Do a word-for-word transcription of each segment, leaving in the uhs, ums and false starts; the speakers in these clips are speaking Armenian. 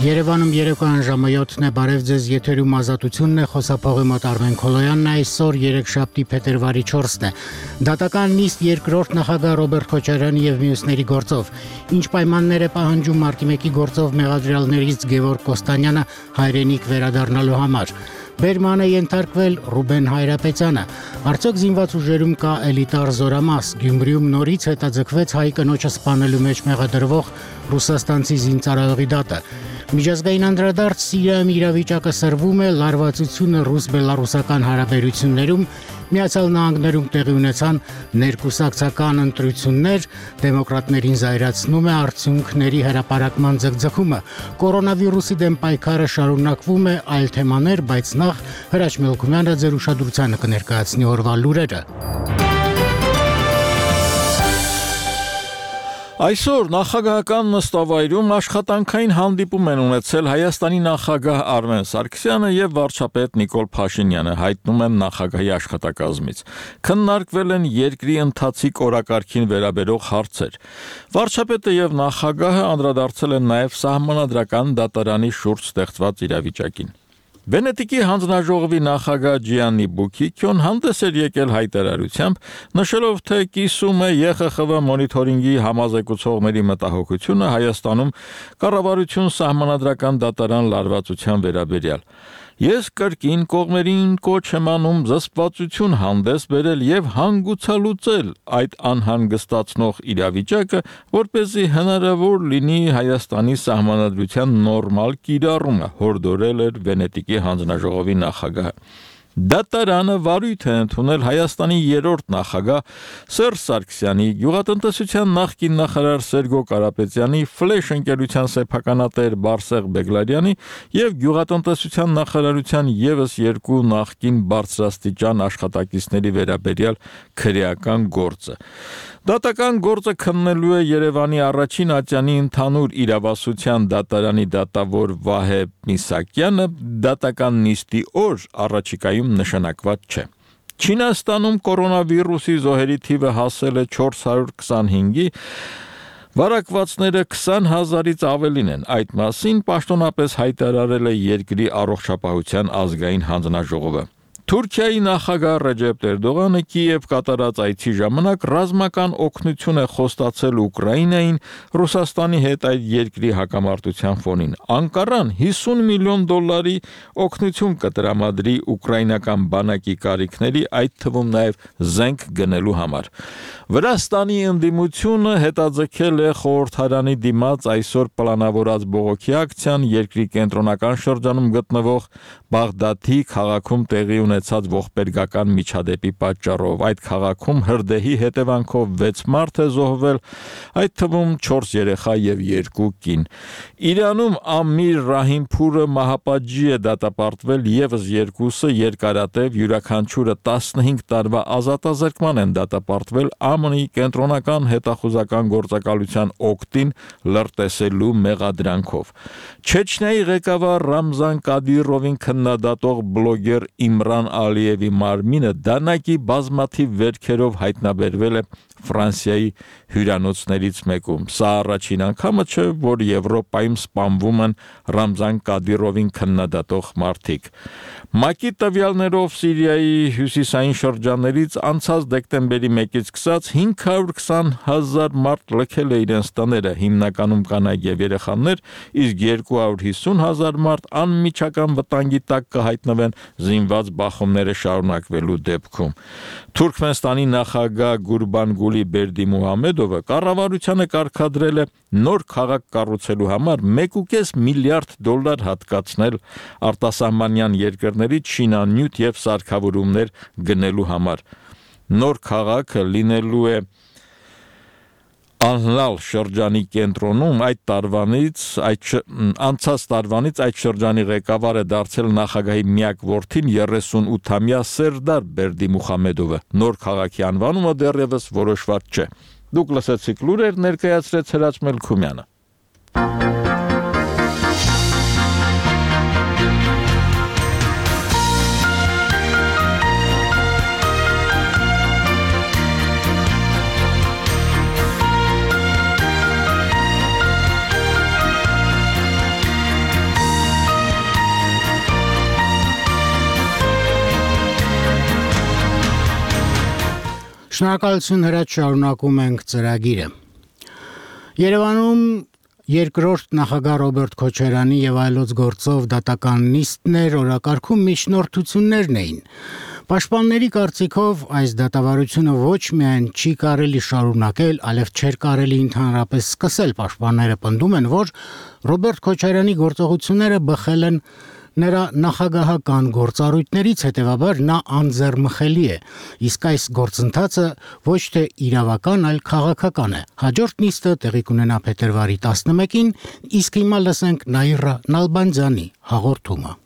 Երևանում երեկոյան ժամը յոթն է, բարև ձեզ, եթերում ազատությունն է, խոսափողի մոտ Արմեն Քոլոյանն է, այսօր երեքշաբթի փետրվարի չորսն է։ Դատական նիստ երկրորդ նախագահ Ռոբերտ Քոչարյանի եւ մյուսների գործով։ Ինչ պայմաններ է պահանջում մարտի մեկի գործով մեղադրյալներից Գևորգ Կոստանյանը հայրենիք վերադառնալու համար։ Բերման է ենթարկվել Ռուբեն Հայրապետյանը։ Արդյոք զինված ուժերում կա էլիտար զորամաս։ Գյումրիում նորից հետաձգվեց հայ կնոջը սպանելու մեջ մեղադրվող ռուսաստանցի զինծառայողի դատը։ Միջազգային անդրադարձ Սիրիայում իրավիճակը սրվում է, լարվածությունը ռուս-բելարուսական հարաբերություններում, Միացյալ Նահանգներում տեղի ունեցան ներկուսակցական ընտրություններ, դեմոկրատներին զայրացնում է արդյունքների հրապարակման ձգձգումը։ Կորոնավիրուսի դեմ պայքարը շարունակվում է, այլ թեմաներ, բայց նախ Հրաչ Մելքումյանը ձեր ուշադրությանը կներկայացնի օրվա լուրերը։ Այսօր նախագահական նստավայրում աշխատանքային հանդիպում են ունեցել Հայաստանի նախագահ Արմեն Սարգսյանը եւ վարչապետ Նիկոլ Փաշինյանը, հայտնում են նախագահի աշխատակազմից։ Քննարկվել են երկրի ընթացիկ օրակարգին վերաբերող հարցեր։ Վարչապետը եւ նախագահը անդրադարձել են նաեւ սահմանադրական դատարանի շուրջ ստեղծված իրավիճակին։ Վենետիկի հանձնաժողովի նախագահ Ջիաննի Բուքիքյոն հանդես էր եկել հայտարարությամբ, նշելով, թե կիսում է Ե Խ Խ V մոնիթորինգի համազեկուցողների մտահոգությունը Հայաստանում կառավարություն սահմանադրական դատարան լարվածության վերաբերյալ։ Ես կրկին կողմերին կոչ եմ անում զսպվածություն հանդես բերել եւ հանգուցալուծել այդ անհանգստացնող իրավիճակը, որպեսզի հնարավոր լինի Հայաստանի սահմանադրության նորմալ կիրառումը, հորդորել էր Վենետիկի հանձնաժողովի նախագահը։ Դատարանը վարույթ է ընդունել Հայաստանի երրորդ նախագահ Սերժ Սարգսյանի, գյուղատնտեսության նախկին նախարար Սերգո Կարապետյանի, Ֆլեշ ընկերության սեփականատեր Բարսեղ Բեգլարյանի եւ գյուղատնտեսության նախարարության եւս երկու նախկին բարձրաստիճան աշխատակիցների վերաբերյալ քրեական գործը։ Դատական գործը քննելու է Երևանի առաջին ատյանի ընդհանուր իրավասության դատարանի դատավոր Վահե Միսակյանը, դատական նիստի օր առաջիկայում նշանակված չէ։ Չինաստանում կորոնավիրուսի զոհերի թիվը հասել է չորս հարյուր քսանհինգի, վարակվածները քսան հազարից ավելին են։ Այդ մասին պաշտոնապես հայտարարել է երկրի առողջապահության ազգային հանձնաժողովը։ Թուրքիայի նախագահ Ռեջեփ Էրդողանը Կիև կատարած այցի ժամանակ ռազմական օգնություն է խոստացել Ուկրաինային Ռուսաստանի հետ այդ երկրի հակամարտության ֆոնին։ Անկարան հիսուն միլիոն դոլարի օգնություն կտրամադրի ուկրաինական բանակի կարիքների, այդ թվում նաև զենք գնելու համար։ Վրաստանի ընդդիմությունը հետաձգել է խորհրդարանի դիմաց այսօր պլանավորած բողոքի ակցիան երկրի կենտրոնական շրջանում գտնվող Բաղդադի քաղաքում տեղի ունեցած ողբերգական միջադեպի պատճառով։ Այդ քաղաքում հրդեհի հետևանքով վեց մարդ է զոհվել, այդ թվում չորս երեխա եւ երկու կին։ Իրանում Ամիր Ռահիմփուրը մահապատժի է դատապարտվել, եւս երկուսը երկարատև, յուրաքանչյուրը տասնհինգ տարվա ազատազրկման են դատապարտվել Ամի կենտրոնական հետախուզական գործակալության օգտին լրտեսելու մեղադրանքով։ Չեչնիայի ղեկավար Ռամզան Կադիրովին քննադատող բլոգեր Իմրան Ալիևի մարմինը դանակի բազմաթիվ վերքերով հայտնաբերվել է Ֆրանսիայի հյուրանոցներից մեկում։ Սա առաջին անգամը չէ, որ Եվրոպայում սպանվում են Ռամզան Կադիրովին քննադատող մարդիկ։ ՄԱԿ-ի տվյալներով Սիրիայի հյուսիսային շրջաններից անցած դեկտեմբերի մեկից սկսած հինգ հարյուր քսան հազար մարդ լքել է իրենց տները, հիմնականում կանայք եւ երեխաներ, իսկ երկու հարյուր հիսուն հազար մարդ անմիջական վտանգի տակ կհայտնվեն զինված բախումները շարունակվելու դեպքում։ Թուրքմենստանի նախագահ Գուրբանգուլի Բերդիմուհամեդովը կառավարությանը կարգադրել է նոր քաղաք կառուցելու համար մեկ ու կես միլիարդ դոլար հատկացնել արտասահմանյան երկրներից շինանյութ եւ սարքավորումներ գնելու համար։ Նոր քաղաքը լինելու է Անլալ շրջանի կենտրոնում, այդ տարվանից, այդ անցած տարվանից այդ շրջանի ղեկավար է դարձել նախագահի միակ որդին երեսունութամյա Սերդար Բերդիմուհամեդովը։ Նոր քաղաքի անվանումը դեռևս որոշված չէ։ Դուք լսեցիք լուրեր, ներկայացրեց Հրաչ Մելքումյանը։ Շնորհակալություն հրաչ, շարունակում ենք ծրագիրը։ Երևանում երկրորդ նախագահ Ռոբերտ Քոչարյանի եւ այլոց գործով դատական նիստներ օրակարգում միջնորդություններն էին։ Պաշտպանների կարծիքով այս դատավարությունը ոչ միայն չի կարելի շարունակել, այլև չէր կարելի ընդհանրապես սկսել։ Պաշտպանները պնդում են, որ Ռոբերտ Քոչարյանի գործողությունները բխել են նրա նախագահական գործառույթներից, հետևաբար նա անձեռմխելի է, իսկ այս գործընթացը ոչ թե իրավական, այլ քաղաքական է։ Հաջորդ նիստը տեղի կունենա փետրվարի տասնմեկին, իսկ հիմա լսենք Նաիրա Նալբանդյանի հաղորդումը։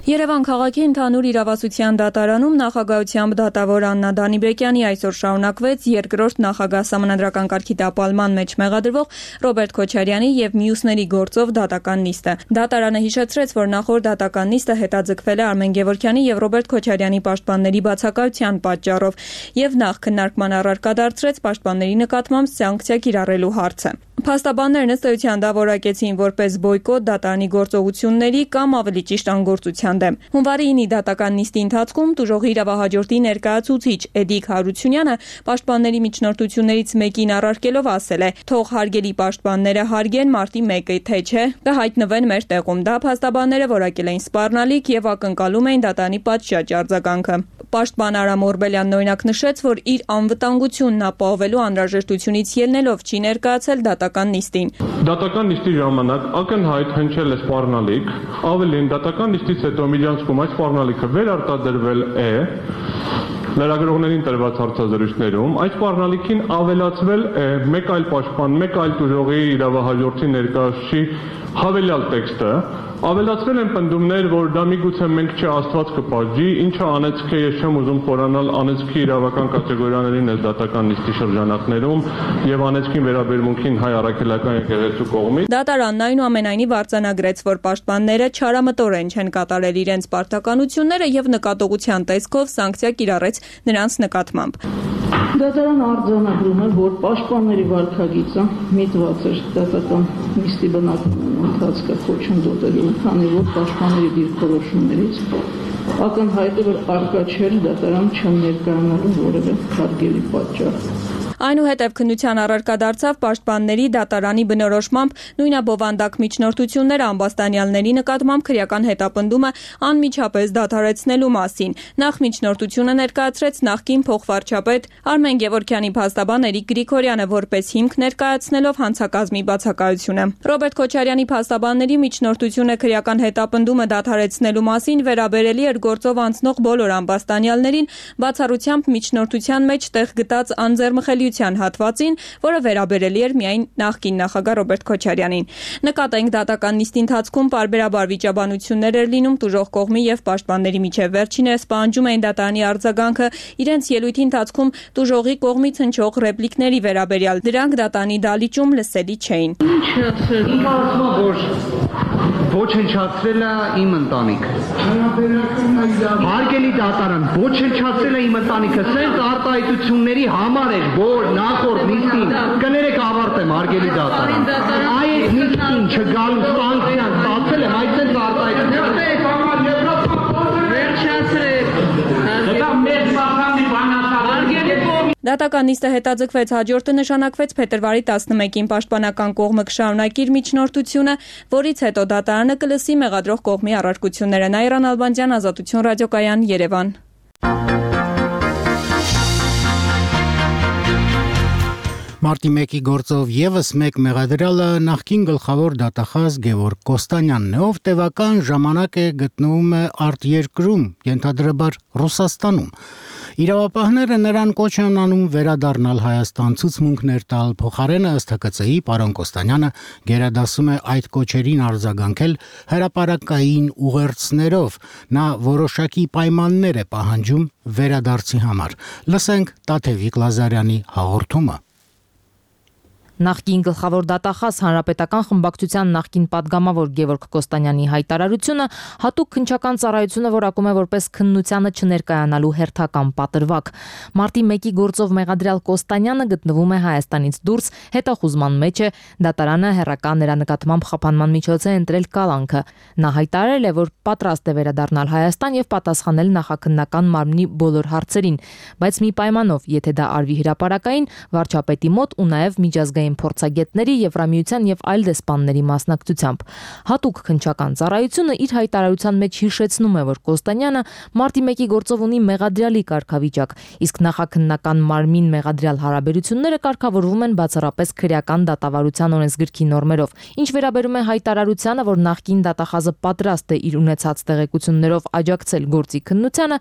Երևան քաղաքի ընդհանուր իրավասության դատարանում նախագահությամբ դատավոր Աննա Դանիբեկյանի այսօր շարունակվեց երկրորդ նախագահ սահմանադրական կարգի տապալման մեջ մեղադրվող Ռոբերտ Քոչարյանի եւ մյուսների գործով դատական նիստը։ Դատարանը հիշեցրեց, որ նախորդ դատական նիստը հետաձգվել է Արմեն Գևորգյանի եւ Ռոբերտ Քոչարյանի պաշտպանների բացակայության պատճառով եւ նախ քննարկման առարկա դարձրեց պաշտպանների նկատմամբ սանկցիա կիրառելու հարցը։ Փաստաբաններն ըստ էության դա որակեցին որպես բոյկոտ դատարանի գործողությունների կամ ավելի ճիշտ անգործության դեմ։ Հունվարի ինի դատական նիստի ընթացքում տուժողի իրավահաջորդի ներկայացուցիչ Էդիկ Հարությունյանը պաշտպանների միջնորդություններից մեկին առարկելով ասել է. «Թող հարգելի պաշտպանները հարգեն մարտի մեկը, թե չէ, կհայտնվեն մեր տեղում»։ Դա փաստաբանները որակել էին սպառնալիք եւ ակնկալում էին դատարանի պատշաճ արձագանքը։ Պաշտպան Արամ Օրբելյանն օրինակ նշեց, որ իր անվտանգությունն ապահովելու անհրաժեշտությունից ելնելով չի ներկայացել դատական նիստին։ Դատական նիստի ժամանակ ակնհայտ հնչել է սպառնալիք, ավելին դատական նիստից հետո միջանցքում այս սպառնալիքը վերարտադրվել է լրագրողներին տրված հարցազրույցներում, այս սպառնալիքին ավելացվել է մեկ այլ պաշտպան, մեկ այլ տուժողի իրավահաջորդի ներկայացուցիչի հավելյալ տեքստը, ավելացվել են պնդումներ, որ դա միգուցե մենք չէ Աստված կպատժի, ինչը անեծք է, ես չեմ ուզում խորանալ անեծքի իրավական կատեգորիաներին այս դատական նիստի շրջանակներում եւ անեծքին վերաբերմունքին հայ առաքելական եկեղեցու կողմից։ Դատարանն այնուամենայնիվ արձանագրեց, որ պաշտպանները չարամտորեն չեն կատարել իրենց պարտականությունները եւ նկատողության տեսքով սանկցիա կիրառեց նրանց նկատմամբ։ Դատարանը արձանագրում է, որ պաշտպանների վարքագիծը միտված էր դատական նիստի բնականոն ընթացքը խոչընդոտելու, քանի որ պաշտպանների դիրքորոշումներից ակնհայտ է, որ արկա չէր դատարան չներկայանալու որևէ հարգելի պատճառ։ Այնուհետև քննության առարկա դարձավ պաշտպանների դատարանի բնորոշմամբ նույնաբովանդակ միջնորդությունները ամբաստանյալների նկատմամբ քրեական հետապնդումը անմիջապես դադարեցնելու մասին։ Նախ միջնորդությունը ներկայացրեց նախկին փոխվարչապետ Արմեն Գևորգյանի փաստաբան Էրիկ Գրիգորյանը որպես հիմք ներկայացնելով հանցակազմի բացակայությունը։ Ռոբերտ Քոչարյանի փաստաբանների միջնորդությունը քրեական հետապնդումը դադարեցնելու մասին վերաբերելի էր գործով անցնող բոլոր ամբաստանյալներին, բացառությամբ միջնորդության մեջ տեղ գտած անձեռմխելի հատվածին, որը վերաբերելի էր միայն նախկին նախագահ Ռոբերտ Քոչարյանին։ Նկատենք դատական նիստի ընթացքում պարբերաբար վիճաբանություններ էր լինում տուժող կողմի եւ պաշտպանների միջև։ Վերջիններս պահանջում էին դատարանի արձագանքը իրենց ելույթի ընթացքում տուժողի կողմից հնչող ռեպլիկների վերաբերյալ։ Դրանք դատարանի դալիճում լսելի չէին։ Ոչնչացրել է իմ ընտանիքը։ Հարգելի դատարան, ոչնչացրել է իմ ընտանիքը, սենց արտահայտությունների համար էր, որ նախորդ նիստին կներեք ավարտեմ, հարգելի դատարան։ Այդ նիստին չգալու սանկցիան ստացել եմ, այդ սենց արտահայտությունները։ Դատական նիստը հետաձգվեց, հաջորդը նշանակվեց փետրվարի տասնմեկին պաշտպանական կողմը կշարունակի իր միջնորդությունը, որից հետո դատարանը կլսի մեղադրող կողմի առարկությունները։ Նաիրա Նալբանդյան, Ազատություն ռադիոկայան, Երևան։ Մարտի մեկի գործով եւս մեկ մեղադրյալը նախկին գլխավոր դատախազ Գևորգ Կոստանյանն է, ով տևական ժամանակ է գտնվում է արտերկրում, ենթադրաբար Ռուսաստանում։ Իրավապահները նրան կոչ են անում վերադառնալ Հայաստան ցուցմունքներ տալ, փոխարենը ըստ Հ Կ Ց Ի պարոն Կոստանյանը գերադասում է այդ կոչերին արձագանքել հրապարակային ուղերձներով։ Նա որոշակի պայմաններ է պահանջում վերադարձի համար։ Լսենք Տաթևիկ Լազարյանի հաղորդումը։ Նախկին գլխավոր դատախազ Հանրապետական խմբակցության նախկին պատգամավոր Գևորգ Կոստանյանի հայտարարությունը հատուկ քննչական ծառայությունը որակում է որպես քննությանը չներկայանալու հերթական պատրվակ։ Մարտի մեկի գործով մեղադրյալ Կոստանյանը գտնվում է Հայաստանից դուրս, հետախուզման մեջ է, դատարանը հերրական նրա նկատմամբ խափանման միջոց է ընտրել կալանքը։ Նա հայտարարել է, որ պատրաստ է վերադառնալ Հայաստան եւ պատասխանել նախաքննական մարմնի բոլոր հարցերին, բայց մի պայմանով, եթե դա արվի հրապարակային, վարչապետի մոտ ու նաեւ միջազգային փորձագետների, Եվրամիության եւ այլ դեսպանների մասնակցությամբ։ Հատուկ քննչական ծառայությունը իր հայտարարության մեջ հիշեցնում է, որ Կոստանյանը մարտի մեկի գործով ունի մեղադրյալի կարգավիճակ, իսկ նախաքննական մարմին մեղադրյալ հարաբերությունները կարգավորվում են բացառապես քրեական դատավարության օրենսգրքի նորմերով։ Ինչ վերաբերում է հայտարարությանը, որ նախկին դատախազը պատրաստ է իր ունեցած տեղեկություններով աջակցել գործի քննությանը,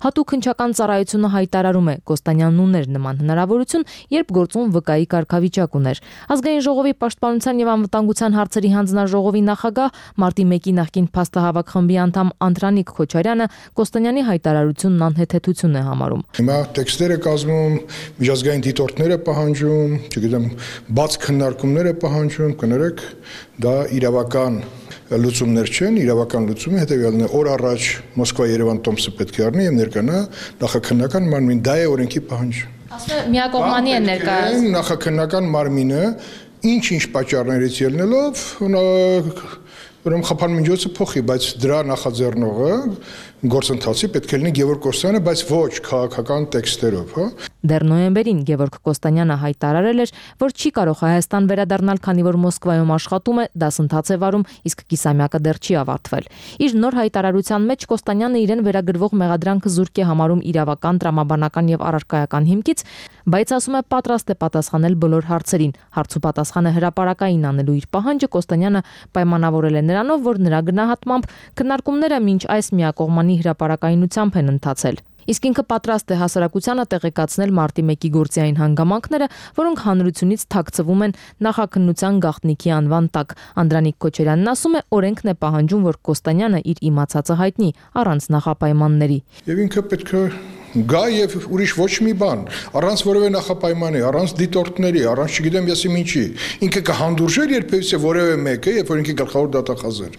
հատուկ քննչական ծառայությունը հայտարարում է, Կոստանյանն ուներ նման հնարավորություն, երբ գործում վկայի կարգավիճակ ուներ։ Ազգային ժողովի պաշտպանության եւ անվտանգության հարցերի հանձնաժողովի նախագահ, մարտի մեկի նախկին փաստահավաք խմբի անդամ Անդրանիկ Քոչարյանը Կոստանյանի հայտարարությունն անհեթեթություն է համարում։ Հիմա տեքստերը կազմում, միջազգային դիտորդները պահանջում, չգիտեմ, բաց քննարկումներ է պահանջում, կներեք, դա իրավական լուծումներ չեն, իրավական լուծումը հետեւյալն է՝ օր առաջ Մոսկվա-Երևան տոմսը պետք է առնի եւ ներկանա նախաքննական մարմին, դա է օրենքի պահանջը։ Ասում է միակողմանի է ներկայացնում նախաքննական մարմինը ինչ-ինչ պատճառներից ելնելով ուրեմն խափան միջոցը փոխի, բայց դրա նախաձեռնողը գործընթացի պետք է լինի Գևորգ Կոստանյանը, բայց ոչ քաղաքական տեքստերով, հա։ Դեռ նոյեմբերին Գևորգ Կոստանյանը հայտարարել էր, որ չի կարող Հայաստան վերադառնալ, քանի որ Մոսկվայում աշխատում է, դասընթաց է վարում, իսկ կիսամյակը դեռ չի ավարտվել։ Իր նոր հայտարարության մեջ Կոստանյանը իրեն վերագրվող մեղադրանքը զուրկ է համարում իրավական, տրամաբանական եւ առարկայական հիմքից, բայց ասում է պատրաստ է պատասխանել բոլոր հարցերին։ Հարցու պատասխանը հրապարակային անելու իր պահանջը Կոստանյանը պայմանավորել է նրանով, որ նրա գնահատմամբ քննարկումները մինչ այս միակողմանի հրապարակայնությամբ են ընթացել։ Իսկ ինքը պատրաստ է հասարակությանը տեղեկացնել մարտի մեկի գործի այն հանգամանքները, որոնք հանրությունից թաքցվում են նախաքննության գաղտնիքի անվան տակ։ Անդրանիկ Քոչարյանն ասում է, օրենքն է պահանջում, որ Կոստանյանը իր իմացածը հայտնի առանց նախապայմանների։ Եվ ինքը պետք է գա եւ ուրիշ ոչ մի բան, առանց որևէ նախապայմանի, առանց դիտորդների, առանց չգիտեմ եսի ինչի։ Ինքը կհանդուրժեր երբևէ որևէ մեկը, երբ որ ինքը գլխավոր դատախազ էր։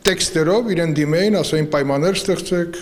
Տեքստերով իրեն դիմեին, ասային պայմաններ ստեղծեք,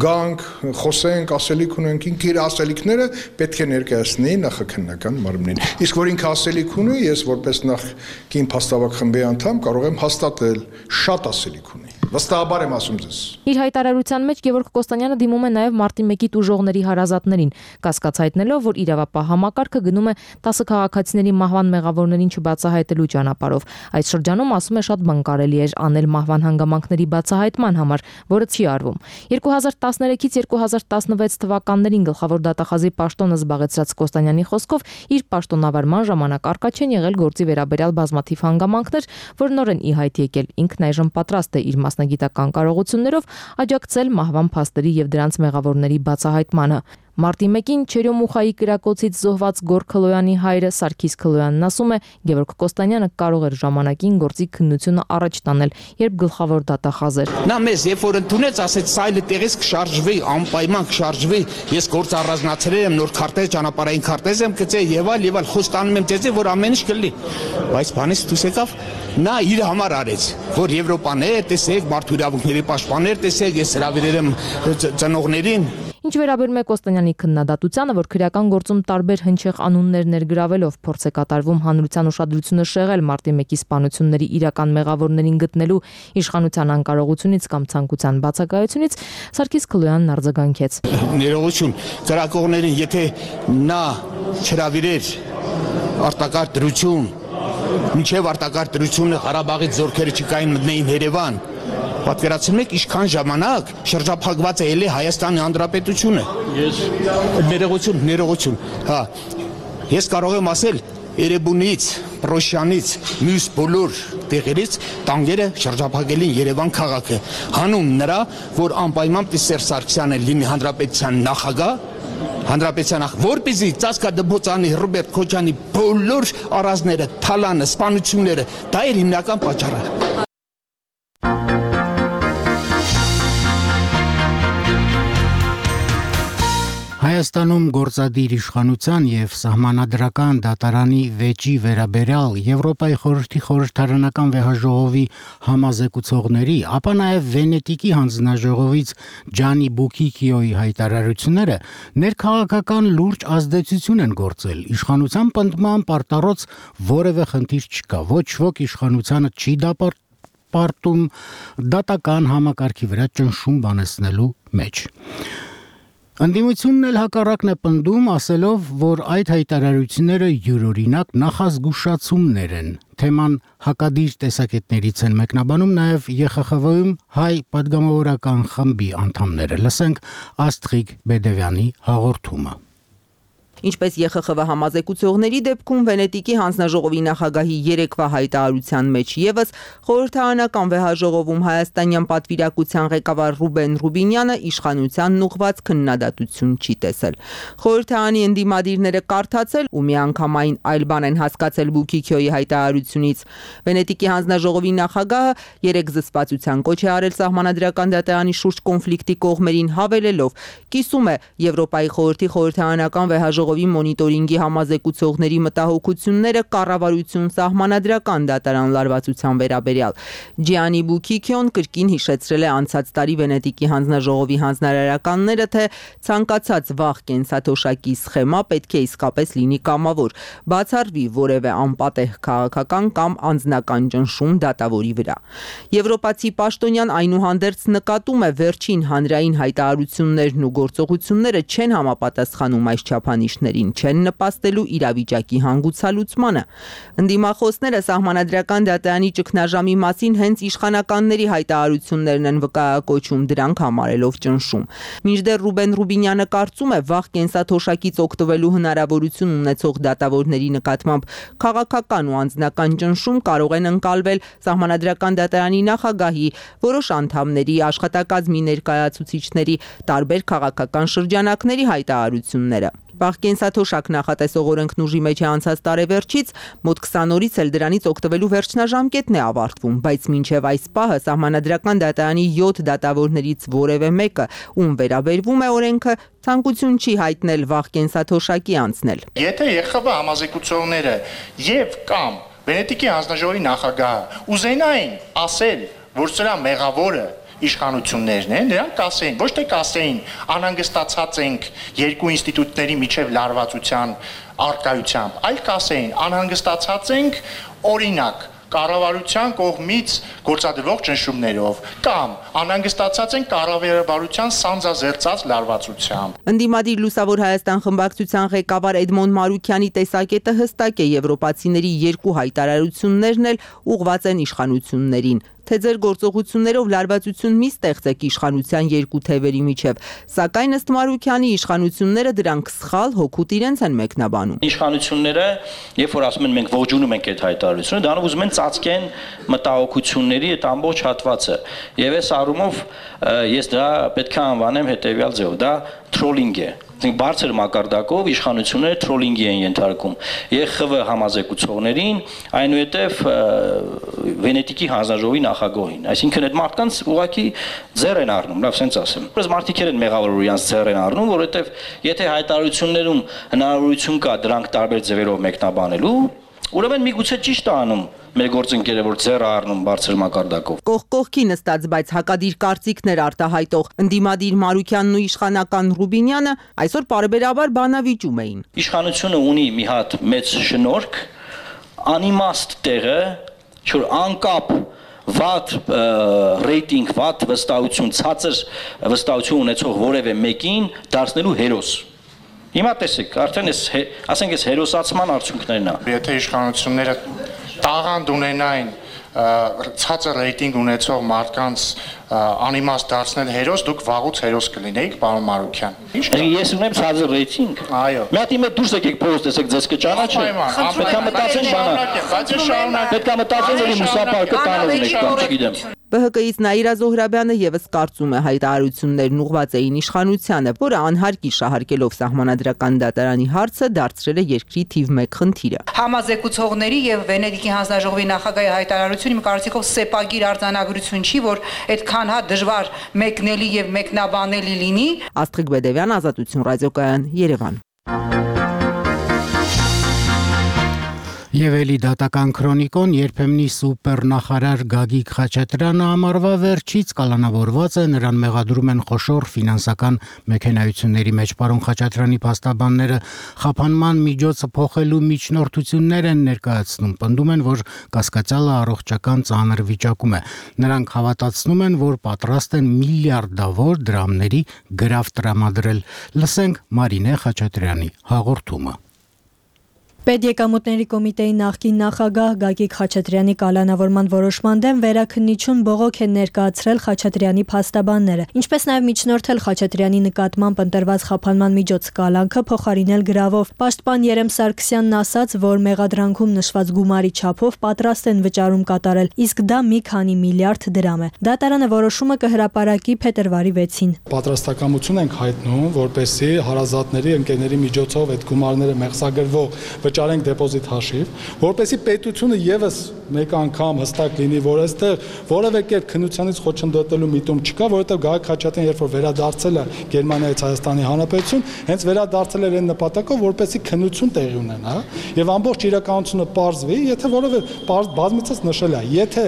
գանք, խոսենք, ասելիք ունենք, ինքը իր ասելիքները պետք է ներկայացնի նախաքննական մարմնին։ Իսկ որ ինքը ասելիք ունի, ես որպես նախկին փաստավակ խմբի անդամ կարող եմ հաստատել, շատ ասելիք ունի։ Վստահաբար եմ ասում ձեզ։ Իր հայտարարության մեջ Գևորգ Կոստանյանը դիմում է նաև մարտի մեկի տուժողների հարազատներին, կասկած հայտնելով, որ իրավապահ համակարգը գնում է տասը քաղաքացիների մահվան մեղավորներին չբացահայտելու ճանապարհով։ Այս շրջանում ասում է շատ բան կարելի էր անել մահվան հանգամանքների բացահայտման համար, որը չի արվում։ երկու հազար տասներեքից երկու հազար տասնվեց թվականներին գլխավոր դատախազի պաշտոնը զբաղեցրած Կոստանյանի խոսքով իր պաշտոնավարման ժամանակ առկա չեն եղել գործի վերաբերյալ բազմաթիվ հանգամանքներ, որ նորեն ի հայտ եկել։ Ինքն այժմ պատրաստ է իր մասնագիտական կարողություններով աջակցել մահվան փաստերի եւ դրանց մեղավորների բացահայտմանը։ Մարտի մեկին Չերյոմուխայի կրակոցից զոհված Գոր Քլոյանի հայրը Սարգիս Քլոյանն ասում է, Գևորգ Կոստանյանը կարող էր ժամանակին գործի քննությունը առաջ տանել, երբ գլխավոր դատախազ էր։ Նա մեզ երբ որ ընդունեց, ասեց սա այլ տեղից կշարժվի, անպայման կշարժվի, ես գործ առանձնացրել եմ, նոր քարտեզ, ճանապարհային քարտեզ եմ գծել եւ այլ եւ այլ խոստանում եմ ձեզ, որ ամեն ինչ կլինի։ Բայց բանից դուրս եկավ, նա իր համար արեց, որ Եվրոպաներ տեսեք, մարդու իրավունքների պաշտպաններ տեսեք, ես հրավիրել եմ ծնողներին։ Ինչ վերաբերում է Կոստանյանի քննադատությանը, որ քրեական գործում տարբեր հնչեղ անուններ ներգրավելով փորձ է կատարվում հանրության ուշադրությունը շեղել մարտի մեկի սպանությունների իրական մեղավորներին գտնելու իշխանության անկարողությունից կամ ցանկության բացակայությունից, Սարգիս Քլոյանն արձագանքեց։ Ներողություն, ծրակողներին, եթե նա չհրավիրեր արտակարգ դրություն, մինչև արտակարգ դրությունը Ղարաբաղից զորքերը չկային մտնեին Երևան, պատկերացնում եք ինչքան ժամանակ շրջափակված է ելի Հայաստանի Հանրապետությունը։ Ես ներողություն, ներողություն, հա։ Ես կարող եմ ասել Երևանից, Պրոշյանից, մյուս բոլոր տեղերից տանկերը շրջափակել են Երևան քաղաքը։ Հանուն նրա, որ անպայման Սերժ Սարգսյանը լինի Հանրապետության նախագահ, Հանրապետության նախ, որպեսզի Ծածկա Դբոցյանի, Ռոբերտ Քոչարյանի բոլոր առանձները, թալանը, սպանությունները, դա էր հիմնական պատճառը։ Հայաստանում գործադիր իշխանության եւ սահմանադրական դատարանի վեճի վերաբերյալ Եվրոպայի խորհրդի խորհրդարանական վեհաժողովի համազեկուցողների, ապա նաեւ Վենետիկի հանձնաժողովից Ջանի Բուկիկիոյի հայտարարությունները ներքաղաքական լուրջ ազդեցություն են գործել։ Իշխանության պնդման պարտառոց որևէ խնդիր չկա, ոչ ոք իշխանությանը չի դատապարտում դատական համակարգի վրա ճնշում բանեցնելու մեջ։ Ընդդիմությունն էլ հակառակն է պնդում, ասելով, որ այդ հայտարարությունները յուրօրինակ նախազգուշացումներ են։ Թեման հակադիր տեսակետներից են մեկնաբանում նաև Ե Խ Խ V-ում հայ պատգամավորական խմբի անդամները։ Լսենք Աստղիկ Բեդևյանի հաղորդումը։ Ինչպես Ե Խ Խ V համազեկուցողների դեպքում Վենետիկի հանձնաժողովի նախագահի երեկվա հայտարարության մեջ եւս խորհրդարանական վեհաժողովում հայաստանյան պատվիրակության ղեկավար Ռուբեն Ռուբինյանը իշխանությանն ուղղված քննադատություն չի տեսել։ Խորհրդարանի ընդդիմադիրները կարդացել ու միանգամայն այլ բան են հասկացել Բուկիկիոյի հայտարարությունից։ Վենետիկի հանձնաժողովի նախագահը երեք զսպվածության կոչ է արել սահմանադրական դատարանի շուրջ կոնֆլիկտի կողմերին, հավելելով. կիսում է Եվրոպայի խորհրդի խորհրդարանական վեհաժողովի մոնիտորինգի համազեկուցողների մտահոգությունները կառավարություն սահմանադրական դատարան լարվածության վերաբերյալ։ Ջիանի Բուկիկիոն կրկին հիշեցրել է անցած տարի Վենետիկի հանձնաժողովի հանձնարարականները, թե ցանկացած վաղ կենսաթոշակի սխեմա պետք է իսկապես լինի կամավոր, բացառվի որևէ անպատեհ քաղաքական կամ անձնական ճնշում դատավորի վրա։ Եվրոպացի պաշտոնյան այնուհանդերձ նկատում է վերջին հանրային հայտարարություններն ու գործողությունները չեն համապատասխանում այս չափանիշներին, չեն նպաստելու իրավիճակի հանգուցալուծմանը։ Ընդդիմախոսները սահմանադրական դատարանի ճգնաժամի մասին հենց իշխանականների հայտարարություններն են վկայակոչում, դրանք համարելով ճնշում։ Մինչդեռ Ռուբեն Ռուբինյանը կարծում է, վաղ կենսաթոշակից օգտվելու հնարավորություն ունեցող դատավորների նկատմամբ քաղաքական ու անձնական ճնշում կարող են ընկալվել սահմանադրական դատարանի նախագահի, որոշ անդամների, աշխատակազմի ներկայացուցիչների, տարբեր քաղաքական շրջանակների հայտարարությունները։ Վաղ կենսաթոշակ նախատեսող օրենքն ուժի մեջ է անցած տարեվերջից, մոտ քսան օրից էլ դրանից օգտվելու վերջնաժամկետն է ավարտվում, բայց մինչև այս պահը սահմանադրական դատարանի յոթ դատավորներից որևէ մեկը, ում վերաբերվում է օրենքը, ցանկություն չի հայտնել վաղ կենսաթոշակի անցնել։ Եթե Ե Խ V համազեկուցողները եւ կամ Վենետիկի հանձնաժողովի նախագահը ուզենային ասել, որ սրա մեղավորը իշխանություններն են, նրանք կասեին, ոչ թե կասեին անհանգստացած ենք երկու ինստիտուտների միջև լարվածության առկայությամբ, այլ կասեին անհանգստացած ենք օրինակ կառավարության կողմից գործադրվող ճնշումներով կամ անհանգստացած են կառավարության սանձազերծած լարվածությամբ։ Ընդդիմադիր Լուսավոր Հայաստան խմբակցության ղեկավար Էդմոն Մարուքյանի տեսակետը հստակ է, եվրոպացիների երկու հայտարարություններն էլ ուղղված են իշխանություններին, թե ձեր գործողություններով լարվածություն մի ստեղծեք իշխանության երկու թևերի միջև, սակայն ըստ Մարուքյանի իշխանությունները դրանք սխալ հոգուտ իրենց են մեկնաբանում։ Իշխանությունները, երբ որ ասում են մենք ողջունում ենք այդ հայտարարությունը, դրանով ուզում են ծածկեն մտահոգությունների այդ ամբողջ հատվածը։ Եվ այս առումով ես դա պետք է անվանեմ հետևյալ ձևով, դա թրոլինգ է։ Բարձր մակարդակով իշխանությունները թրոլինգի են ենթարկում Ե Խ V համազեկուցողներին, այնուհետև Վենետիկի հանձնաժողովի նախագահին։ Այսինքն այդ մարդկանց ուղղակի ձեռ են առնում, լավ սենց ասեմ։ Բայց մարդիկ են մեղավոր, որ իրանց ձեռ են առնում, որովհետև եթե հայտարարություններում հնարավորություն կա դրանք տարբեր ձևերով մեկնաբանելու, ուրեմն միգուցե ճիշտ է անում մեր գործընկերը, որ ձեռ առնում բարձր մակարդակով։ Կողք կողքի նստած, բայց հակադիր կարծիքներ արտահայտող ընդդիմադիր Մարուքյանն ու իշխանական Ռուբինյանը այսօր պարբերաբար բանավիճում էին։ Իշխանությունը ունի մի հատ մեծ շնորհք, անիմաստ տեղը, որ անկապ վատ ռեյտինգ, վատ վստահություն, ցածր վստահություն ունեցող որևէ մեկին դարձնելու հերոս։ Հիմա տեսեք, արդեն էս ասենք էս հերոսացման արդյունքներն է։ Եթե իշխանությունները տաղանդ ունենային ցածր ռեյտինգ ունեցող մարդկանց անիմաստ դարձնել հերոս, դուք վաղուց հերոս կլինեիք, պարոն Մարուքյան։ Ես ունեմ ցածր ռեյտինգ։ Այո։ Մի հատ իմը դուրս եկեք փողոց տեսեք, ձեզ կճանաչեն։ Պետք է մտածեն բանը։ Պետք է մտածեն, որ մուսապարկը տանող եք կամ չգիտեմ։ Բ Հ Կ-ից Նաիրա Զոհրաբյանը եւս կարծում է հայտարարություններն ուղղված էին իշխանությանը, որը անհարկի շահարկելով սահմանադրական դատարանի հարցը դարձրել է երկրի թիվ մեկ խնդիրը։ Համազեկուցողների եւ Վենետիկի հանձնաժողովի նախագահի հայտարարությունը իմ կարծիքով սեպագիր արձանագրություն չի, որ այդքան հա դժվար մեկնելի եւ մեկնաբանելի լինի։ Աստղիկ Բեդևյան, Ազատություն ռադիոկայան, Երևան։ Եվ էլի դատական քրոնիկոն երբեմնի սուպեր նախարար Գագիկ Խաչատրյանը ամառվա վերջից կալանավորված է, նրան մեղադրում են խոշոր ֆինանսական մեքենայությունների մեջ։ Պարոն Խաչատրյանի փաստաբանները խափանման միջոցը փոխելու միջնորդություններ են ներկայացնում, պնդում են, որ կասկածյալը առողջական ծանր վիճակում է։ Նրանք հավատացնում են, որ պատրաստ են միլիարդավոր դրամների գրավ տրամադրել։ Լսենք Մարինե Խաչատրյանի հաղորդումը։ Պետեկամուտների կոմիտեի նախկին նախագահ Գագիկ Խաչատրյանի կալանավորման որոշման դեմ վերաքննիչուն բողոք են ներկայացրել Խաչատրյանի փաստաբանները, ինչպես նաև միջնորդել Խաչատրյանի նկատմամբ ընտրված խափանման միջոց կալանքը փոխարինել գրավով։ Պաշտպան Երեմ Սարգսյանն ասաց, որ մեղադրանքում նշված գումարի չափով պատրաստ են վճարում կատարել, իսկ դա մի քանի միլիարդ դրամ է։ Դատարանը որոշումը կհրապարակի փետրվարի վեցին։ Պատրաստակամություն ենք հայտնում, որպեսզի հարազատների ընկերների միջոցով այդ գումարները մեղսագրվող վճարենք դեպոզիտ հաշիվ, որպեսզի պետությունը եւս մեկ անգամ հստակ լինի, որ այստեղ որևէ կերպ քննությանից խոչընդոտելու միտում չկա, որովհետեւ Գագիկ Խաչատրյանն երբ որ վերադարձել է Գերմանիայից Հայաստանի Հանրապետություն, հենց վերադարձել էր այն նպատակով, որպեսզի քննություն տեղի ունենա, եւ ամբողջ իրականությունը պարզվի, եթե որևէ բազմիցս նշել է, եթե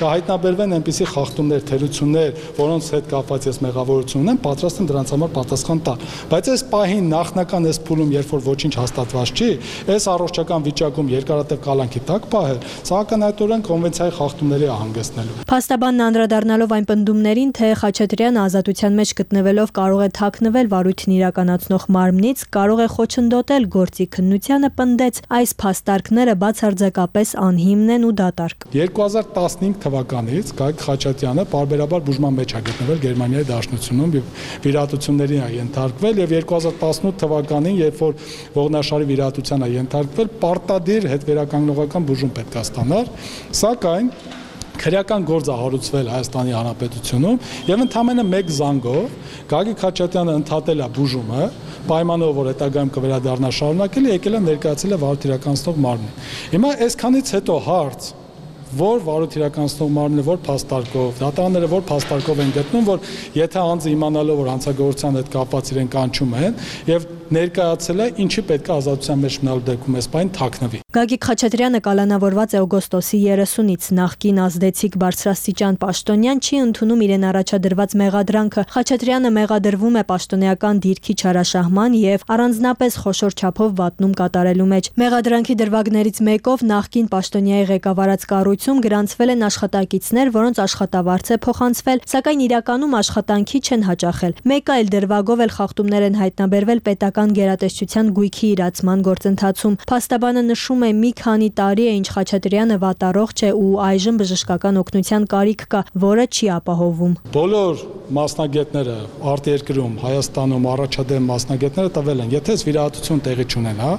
կհայտնաբերվեն այնպիսի խախտումներ, թերություններ, որոնց հետ կապված ես մեղավորություն ունեմ, պատրաստ եմ դրանց համար պատասխան տալ։ Բայց այս պահին նախնական այս փուլում, երբ որ ոչինչ հաստատված չի, այս առողջական վիճակում երկարատև կալանքի տակ պահել, սա ակնհայտորեն կոնվենցիայի խախտումների է հանգեցնելու։ Փաստաբանն անդրադառնալով այն պնդումներին, թե Խաչատրյանը ազատության մեջ գտնվելով կարող է թաքնվել վարույթն իրականացնող մարմնից, կարող է խոչընդոտել գործի քննությանը, պնդեց այս փաստարկները բացարձակապես անհիմն են ու դատարկ։ երկու հազար տասնհինգ թվականից Գագիկ Խաչատրյանը պարբերաբար բուժման մեջ է գտնվել Գերմանիայի Դաշնությունում, վիրահատությունների է ենթարկվել եւ երկու հազար տասնութ թվականին, երբ որ ողնաշարի վիրահատության է ենթարկվել, պարտադիր հետվերականգնողական բուժում պետք է ստանար, սակայն քրեական գործ է հարուցվել Հայաստանի Հանրապետությունում եւ ընդամենը մեկ զանգով Գագիկ Խաչատրյանը ընդհատել է բուժումը, պայմանով որ հետագայում կվերադառնա շարունակել, եկել է ներկայացել է վարույթ իրականացնող մարմնին։ Հիմա այսքանից հետո հարց, որ վարույթ իրականացնող մարմինը որ փաստարկով, դատարանները որ փաստարկով են գտնում, որ եթե անձը իմանալով որ հանցագործության հետ կապված իրեն կանչում են եւ ներկայացել է, ինչի պետք է ազատության մեջ մնալու դեպքում այս բան թաքնվի։ Գագիկ Խաչատրյանը կալանավորված է օգոստոսի երեսունից, նախկին ազդեցիկ բարձրաստիճան պաշտոնյան չի ընդունում իրեն առաջադրված մեղադրանքը։ Խաչատրյանը մեղադրվում է պաշտոնեական դիրքի չարաշահման եւ առանձնապես խոշոր չափով վատնում կատարելու մեջ։ Մեղադրանքի դրվագներից մեկով նախկին պաշտոնյայի ղեկավարած կառույցում գրանցվել են աշխատակիցներ, որոնց աշխատավարձ է փոխանցվել, սակայն իրականում աշխատանքի չեն հաճախել։ Մեկ այլ դրվագով էլ խախտումներ են հայտնաբերվել պետական գերատեսչության գույքի իրացման գործընթացում։ Փաստաբանը նշում է, մի քանի տարի է ինչ Խաչատրյանը վատառողջ է ու այժմ բժշկական օգնության կարիք կա, որը չի ապահովում։ Բոլոր մասնագետները արտերկրում, Հայաստանում առաջադեմ մասնագետները տվել են, եթե վիրահատություն տեղի չունենա,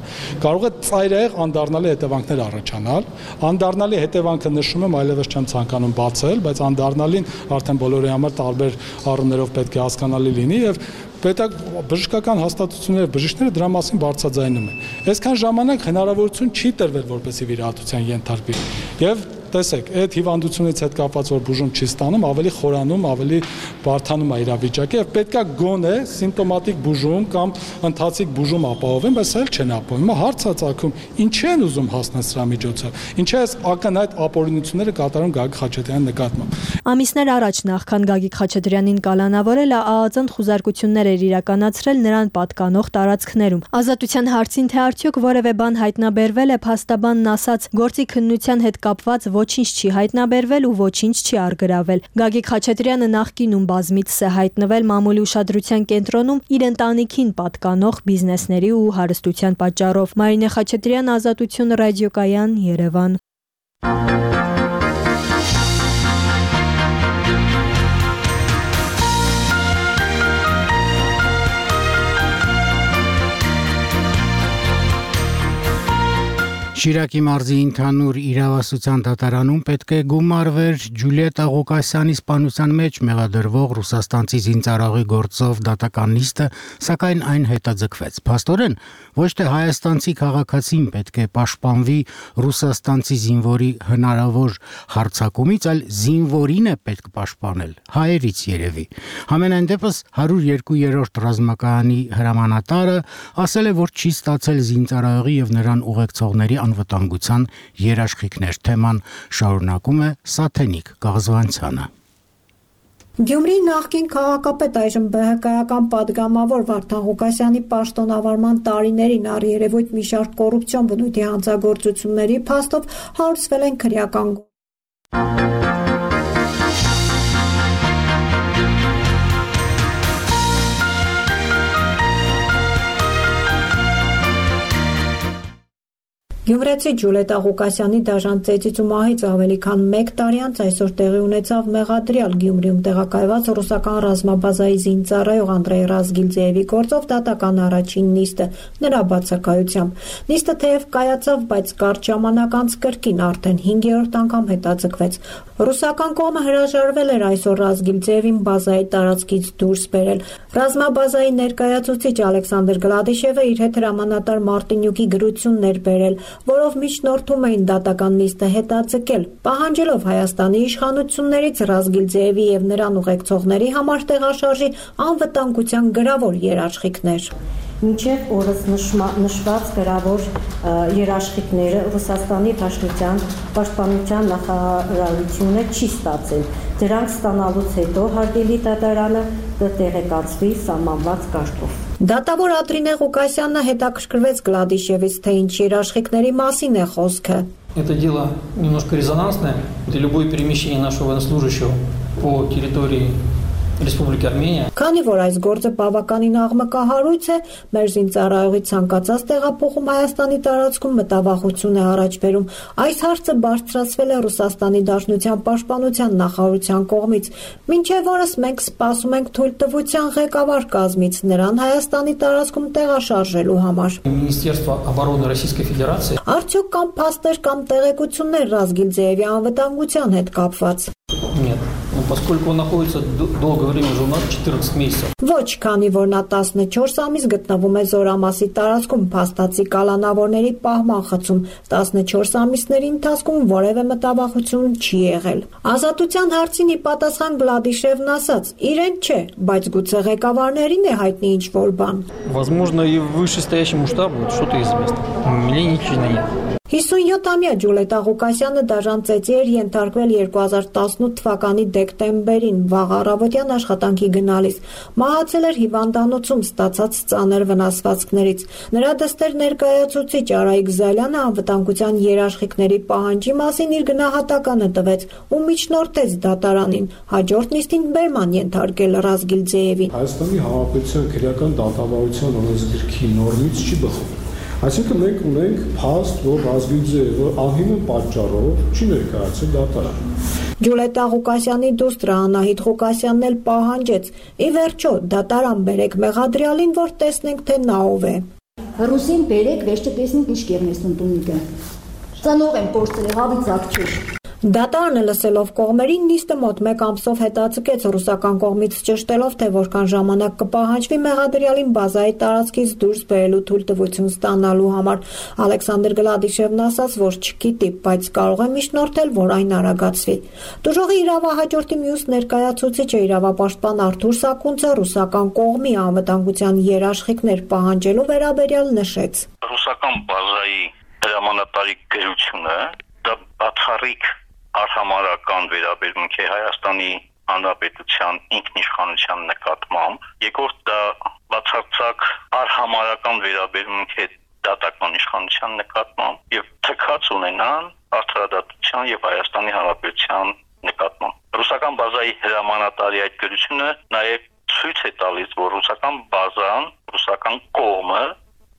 կարող է ծայրահեղ անդառնալի հետևանքներ առաջանալ։ Անդառնալի հետևանքը նշում եմ, այլևս չեմ ցանկանում բացել, բայց անդառնալին արդեն բոլորի համար տարբեր առումներով պետք է հասկանալի լինի եւ պետք բժշկական հաստատությունները, բժիշկները դրա մասին բարձրաձայնում են։ Այսքան ժամանակ հնարավորություն չի տրվել, որպեսզի վիրահատության ենթարկվի։ Եվ տեսեք, այդ հիվանդությունից հետ կապված որ բուժում չի ստանում, ավելի խորանում, ավելի բարդանում է իրավիճակը եւ պետքա գոնե սիմպտոմատիկ բուժում կամ ընթացիկ բուժում ապահովեն, բայց այլ չեն ապահովում։ Հիմա հարց է ծագում, ինչ են ուզում հասնել սրա միջոցով։ Ինչ է այս ակնհայտ ապօրինությունները կատարում Գագիկ Խաչատրյանի նկատմամբ։ Ամիսներ առաջ նախքան Գագիկ Խաչատրյանին կալանավորել, ԱԱԾ-ն խուզարկություններ էր իրականացրել նրան պատկանող տարածքներում։ Ազատության հարցին, թե արդյոք որևէ բան հայտնաբերվել է, փաստաբանն ասաց, գործի քննության հետ կապված ոչինչ չի հայտնաբերվել ու ոչինչ չի առգրավել։ Գագիկ Խաչատրյանը նախկինում բազմիցս է հայտնվել մամուլի ուշադրության կենտրոնում իր ընտանիքին պատկանող բիզնեսների ու հարստության պատճառով։ Մարինե Խաչատրյան, Ազատություն ռադիոկայան, Երևան։ Շիրակի մարզի ընդհանուր իրավասության դատարանում պետք է գումարվեր Ջուլիետա Ղուկասյանի սպանության մեջ մեղադրվող ռուսաստանցի զինծառայողի գործով դատական նիստը, սակայն այն հետաձգվեց։ Փաստորեն, ոչ թե հայաստանցի քաղաքացին պետք է պաշտպանվի ռուսաստանցի զինվորի հնարավոր հարձակումից, այլ զինվորին է պետք պաշտպանել, հայերից երևի։ Համենայն դեպս հարյուր երկու ռազմակայանի հրամանատարը ասել է, որ չի ստացել զինծառայողի եւ նրան ուղեկցողների անվտանգության երաշխիքներ։ Թեման շարունակում է Սաթենիկ Գաղզվանցյանը։ Գյումրիի նախկին քաղաքապետ այժմ Բ Հ Կայական падգամավոր Վարդան Ղուկասյանի պաշտոնավարման տարիներին առերևույթ մի շարք կոռուպցիոն բնույթի հանցագործությունների փաստով հարուցվել են քրեական Գյումրեցի Ջուլիետա Ղուկասյանի դաժան ծեծից ու մահից ավելի քան մեկ տարի անց այսօր տեղի ունեցավ մեղադրյալ Գյումրիում տեղակայված ռուսական ռազմաբազայի զինծառայող Անդրեյ Ռազգիլձեևի գործով դատական առաջին նիստը նրա բացակայությամբ։ Նիստը թեև կայացավ, բայց կարճ ժամանակ անց կրկին արդեն հինգերորդ անգամ հետաձգվեց։ Ռուսական կողմը հրաժարվել էր այսօր Ռազգիլձեևին բազայի տարածքից դուրս բերել։ Ռազմաբազայի ներկայացուցիչ Ալեքսանդր Գլադիշևը իր հետ հրամանատար Մարտինյուկի գրություններ բերել, որով միջնորդում էին դատական նիստը հետաձգել, պահանջելով Հայաստանի իշխանություններից Ռազգիլձեևի եւ նրան ուղեկցողների համար տեղաշարժի անվտանգության գրավոր երաշխիքներ։ Մինչև օրս նշված գրավոր երաշխիքները Ռուսաստանի Դաշնության պաշտպանության նախարարությունը չի ստացել։ Դրանք ստանալուց հետո հարգելի դատարանը կտեղեկացվի սահմանված կարգով։ Դատավոր Ադրինե Ղուկասյանը հետաքրքրվեց Գլադիշևից, թե ինչ երաշխիքների մասին է խոսքը։ Это дело немножко резонансное, где любое перемещение нашего военнослужащего по территории Республики Армения. Քանի որ այս գործը բավականին աղմկահարույց է, մեր զինծառայողի ցանկացած տեղափոխում Հայաստանի տարածքում մտավախություն է առաջ բերում։ Այս հարցը բարձրացվել է Ռուսաստանի Դաշնության պաշտպանության նախարարության կողմից։ Մինչև օրս մենք սպասում ենք թույլտվության ղեկավար կազմից նրան Հայաստանի տարածքում տեղաշարժելու համար։ Министерство обороны Российской Федерации. Արդյոք կամ փաստեր կամ տեղեկություններ Ռազգիլձեևի անվտանգության հետ կապված։ Нет. Поскольку он находится долгое время уже у нас четырнадцать месяцев. Ոչ, քանի որ նա տասնչորս ամիս գտնվում է Զորամասի տարածքում փաստացի կալանավորների պահման խցում, տասնչորս ամիսների ընթացքում որևէ մտավախություն չի եղել։ Ազատության հարցին ի պատասխան Գլադիշևն ասաց. իրեն չէ, բայց գուցե ղեկավարներին է հայտնի ինչ-որ բան։ Возможно, и вышестоящему штабу что-то известно. Мне ничего нет. հիսունյոթամյա Ջուլիետա Ղուկասյանը դաժան ծեծի էր ենթարկվել երկու հազար տասնութ թվականի դեկտեմբերին վաղ առավոտյան աշխատանքի գնալիս։ Մահացել էր հիվանդանոցում ստացած ծանր վնասվածքներից։ Նրա դստեր ներկայացուցիչ Արայիկ Զալյանը անվտանգության երաշխիքների պահանջի մասին իր գնահատականը տվեց ու միջնորդեց դատարանին, հաջորդ նիստին բերման ենթարկել Ռազգիլձեևին։ Հայաստանի Հանրապետության քրեական դատավարության օրենսգրքի նորմից չի բխում։ Այսինքն մենք ունենք փաստ, որ Ռազգիլձեևը անհիմն պատճառով չի ներկայացել դատարան։ Ջուլիետա Ղուկասյանի դուստր Անահիտ Ղուկասյանն էլ պահանջեց. ի վերջո դատարան բերեք մեղադրյալին, որ տեսնենք, թե նա ով է։ Ռուսին բերեք, վերջը տեսնենք ինչ կերնեսն տունիկը։ Ծանող եմ փորձել հավից ակչուր։ Դատարանը լսելով կողմերին նիստը մոտ մեկ ամսով հետաձգեց ռուսական կողմից ճշտելով, թե որքան ժամանակ կպահանջվի մեղադրյալին բազայի տարածքից դուրս բերելու թույլտվություն ստանալու համար։ Ալեքսանդր Գլադիշևն ասաց, որ չգիտի, բայց կարող է միջնորդել, որ այն արագացվի։ Դժողի իրավահաջորդի մյուս ներկայացուցիչը իրավապաշտպան Արթուր Սակունցը ռուսական կողմի անվտանգության երաշխիքներ պահանջելու վերաբերյալ նշեց։ Ռուսական բազայի հրամանատարի գրությունը դա բացառիկ արհամարական վերաբերմունք է Հայաստանի Հանրապետության ինքնիշխանության նկատմամբ, երկրորդ դա բացարձակ արհամարական վերաբերմունք է դատական իշխանության նկատմամբ եւ թքած ունենան արդարադատության եւ Հայաստանի Հանրապետության նկատմամբ։ Ռուսական բազայի հրամանատարի այդ գրությունը նաեւ ցույց է տալիս, որ ռուսական բազան, ռուսական կողմը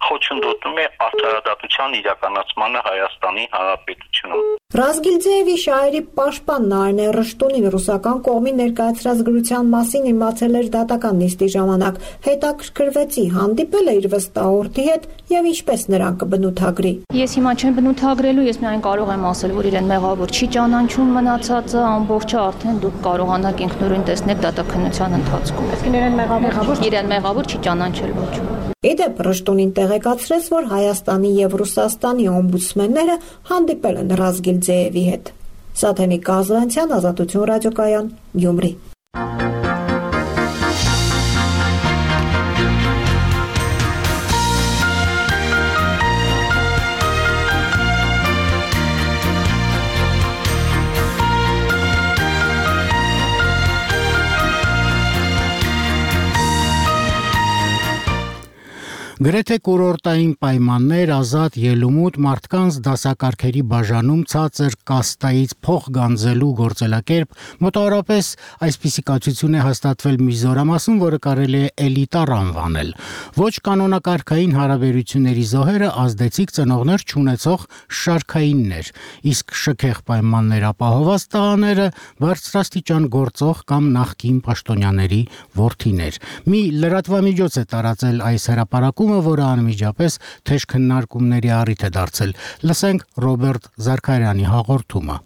խոչընդոտում է արդարադատության իրականացմանը Հայաստանի Հանրապետությունում։ Ռազգիլձեևի շահերի պաշտպան Նարինե Ռշտունին ռուսական կողմի ներկայացրած գրության մասին իմացել էր դատական նիստի ժամանակ, հետաքրքրվեցի, հանդիպել է իր վստահորդի հետ եւ ինչպես նրան կբնութագրի։ Ես հիմա չեմ բնութագրելու, ես միայն կարող եմ ասել, որ իրեն մեղավոր չի ճանաչում, մնացածը ամբողջը արդեն դուք կարողանաք ինքնուրույն տեսնել դատաքննության ընթացքում։ Իսկ իրեն մեղավոր իրեն մեղավոր չի ճանաչել ոչ։ Իդեպ Ռշտունին տեղեկացրեց, որ Հայաստանի եւ Ռուսաստանի օմբուդսմենները հանդիպել են Ռազգիլձեևի հետ։ Սաթենիկ Կազանցյան, Ազատություն ռադիոկայան, Գյումրի։ Գրեթե կուրորտային պայմաններ, ազատ ելումուտ, մարդկանց դասակարգերի բաժանում ցածր կաստայից փող գանձելու գործելակերպ, մոտավորապես այսպիսի կացություն է հաստատվել Միզորամասում, որը կարելի է էլիտար անվանել։ Ոչ կանոնակարգային հարաբերությունների զոհերը ազդեցիկ ծնողներ չունեցող շարքայիններ, իսկ շքեղ պայմաններ ապահովված տղաները բարձրաստիճան գործող կամ նախկին պաշտոնյաների որդիներ։ Մի լրատվամիջոց է տարածել այս հրապարակումը, որը անմիջապես թեժ քննարկումների առիթ է դարձել։ Լսենք Ռոբերտ Զարքարյանի հաղորդումը։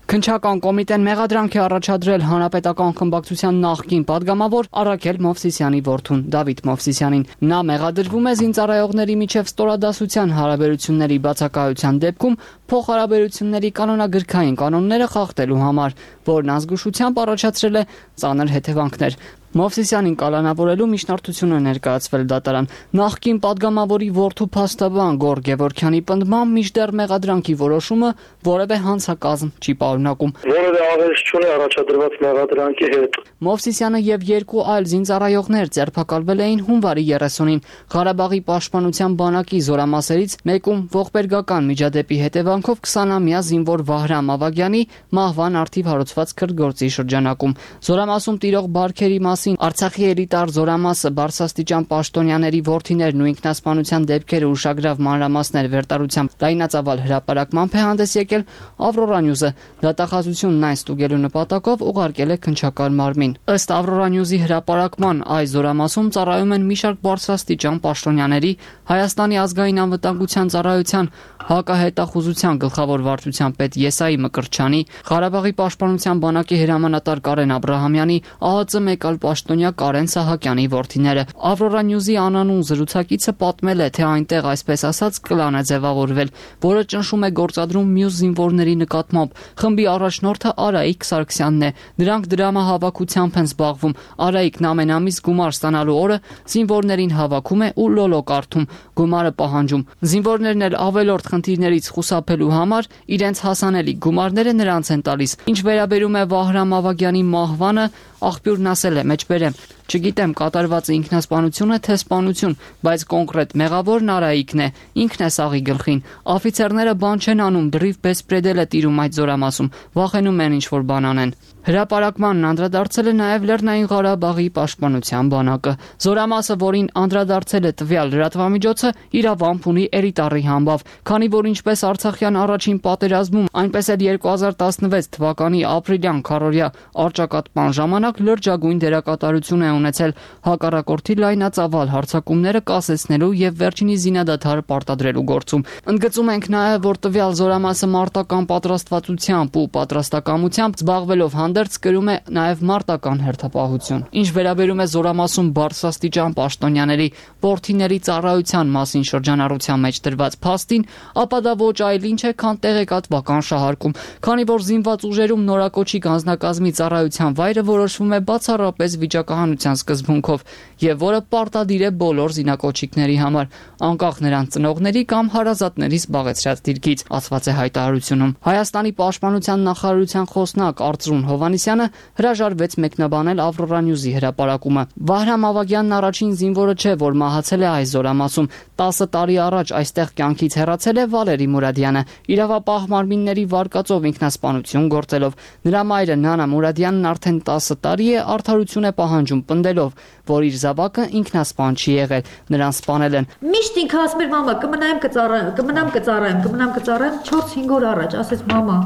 Քննչական կոմիտեն մեղադրանք է առաջադրել հանրապետական խմբակցության նախկին падգամավոր Արաքել Մովսիսյանի որդուն Դավիթ Մովսիսյանին։ Նա մեղադրվում է զինծառայողների միջև ստորադասության հարաբերությունների բացակայության դեպքում փոխհարաբերությունների կանոնագրքային կանոնները խախտելու համար, որն ազգուշությամբ առաջացրել է ծանր հետևանքներ։ Մովսիսյանին կալանավորելու միջնորդություն է ներկայացվել դատարան։ Նախկին падգամավորի որդու փաստաբան Գոր Գևորգյանի պնդմամբ մինչդեռ մեղադրանքի որոշումը որևէ հանցակազմ չի պարունակում։ Որևէ աղերս չունի առաջադրված մեղադրանքի հետ։ Մովսիսյանը եւ երկու այլ զինծառայողներ ձերբակալվել էին հունվարի երեսունին Ղարաբաղի պաշտպանության բանակի զորամասերից մեկում ողբերգական միջադեպի հետևանքով քսանամյա զինվոր Վահրամ Ավագյանի մահվան առթիվ հարուցված քրտգործի շրջանակում։ Զորամասում տիրող բարքերի Արցախի էլիտար զորամասը բարձրաստիճան պաշտոնյաների որդիներն ու ինքնասպանության դեպքերը ուշագրավ մանրամասներ վերտարությամբ լայնածավալ հրապարակմամբ է հանդես եկել Ավրորա Նյուզը։ Դատախազությունն այն ստուգելու նպատակով ուղարկել է քննչական մարմին։ Ըստ Ավրորա Նյուզի հրապարակման, այս զորամասում ծառայում են մի շարք բարձրաստիճան պաշտոնյաների, Հայաստանի ազգային անվտանգության ծառայության հակահետախուզության գլխավոր վարչության պետ Եսայի Մկրտչյանի, Ղարաբաղի պաշտպանության բանակի հրամանատար Կարեն Աբրահամյանի, ԱՀԾ մեկ այլ պաշտոնյա Կարեն Սահակյանի որդիները։ Ավրորա Նյուզի անանուն զրուցակիցը պատմել է, թե այնտեղ այսպես ասած կլան է ձևավորվել, որը ճնշում է գործադրում մյուս զինվորների նկատմամբ։ Խմբի առաջնորդը Արայիկ Սարգսյանն է։ Նրանք դրամահավաքությամբ են զբաղվում։ Արայիկն ամեն ամիս գումար ստանալու օրը զինվորներին հավաքում է ու լոլո կարդում, գումարը պահանջում։ Զինվորներն էլ ավելորդ խնդիրներից խուսափելու համար իրենց հասանելի գումարները նրանց են տալիս։ Ինչ վերաբերում է Վահրամ Ավագյանի մահվանը, աղբյուրն ասել է, մեջբերեմ, չգիտեմ կատարվածը ինքնասպանություն է թե սպանություն, բայց կոնկրետ մեղավորն Արայիկն է, ինքն է սաղի գլխին։ Աֆիցերները բան չեն անում, դրիվ բեսպրեդել է տիրում այդ զորամասում, վախենում են ինչ-որ բան անեն։ Հրապարակմանն անդրադարձել է նաև Լեռնային Ղարաբաղի պաշտպանության բանակը։ Զորամասը, որին անդրադարձել է տվյալ լրատվամիջոցը, իրավամբ ունի էլիտարի համբավ, քանի որ ինչպես Արցախյան առաջին պատերազմում, այնպես էլ երկու հազար տասնվեց թվականի ապրիլյան քառօրյա առճակատման ժամանակ լրջագույն դերակատարություն է ունեցել հակառակորդի լայնածավալ հարձակումները կասեցնելու եւ վերջինի զինադադարը պարտադրելու գործում։ Ընդգծում ենք նաև, որ տվյալ զորամասը մարտական պատրաստվածությամբ ու պատրաստակամությամբ զբաղվելով հանդերձ կրում է նաև մարտական հերթապահություն։ Ինչ վերաբերում է զորամասում բարձրաստիճան պաշտոնյաների որդիների ծառայության մասին շրջանառության մեջ դրված փաստին, ապա դա ոչ այլ ինչ է, քան տեղեկատվական շահարկում, քանի որ զինված ուժերում նորակոչիկ անձնակազմի ծառայության վայրը որոշվում է բացառապես վիճակահանության սկզբունքով եւ որը պարտադիր է բոլոր զինակոչիկների համար, անկախ նրանց ծնողների կամ հարազատների զբաղեցրած դիրքից, ասված է հայտարարությունում։ Հայաստանի պաշտպանության նախարարության խոսնակ Արծրուն Հովհաննիսյանը հրաժարվեց մեկնաբանել Ավրորա Նյուզի հրապարակումը։ Վահրամ Ավագյանն առաջին զինվորը չէ, որ մահացել է այս զորամասում։ տասը տարի առաջ այստեղ կյանքից հեռացել է Վալերի Մուրադյանը, իրավապահ մարմինների վարկածով ինքնասպանություն գործելով։ Նրա մայրը Նանա Մուրադյանն արդեն տասը տարի է արդարություն է պահանջում պնդելով, որ իր զավակը ինքնասպան չի եղել, նրան սպանել են։ Միշտ ինքը ասում էր մամա, կմնայեմ կծառայեմ, կմնամ կծառայեմ, կմնամ կծառայեմ, չորս-հինգ օր առաջ ասեց մամա,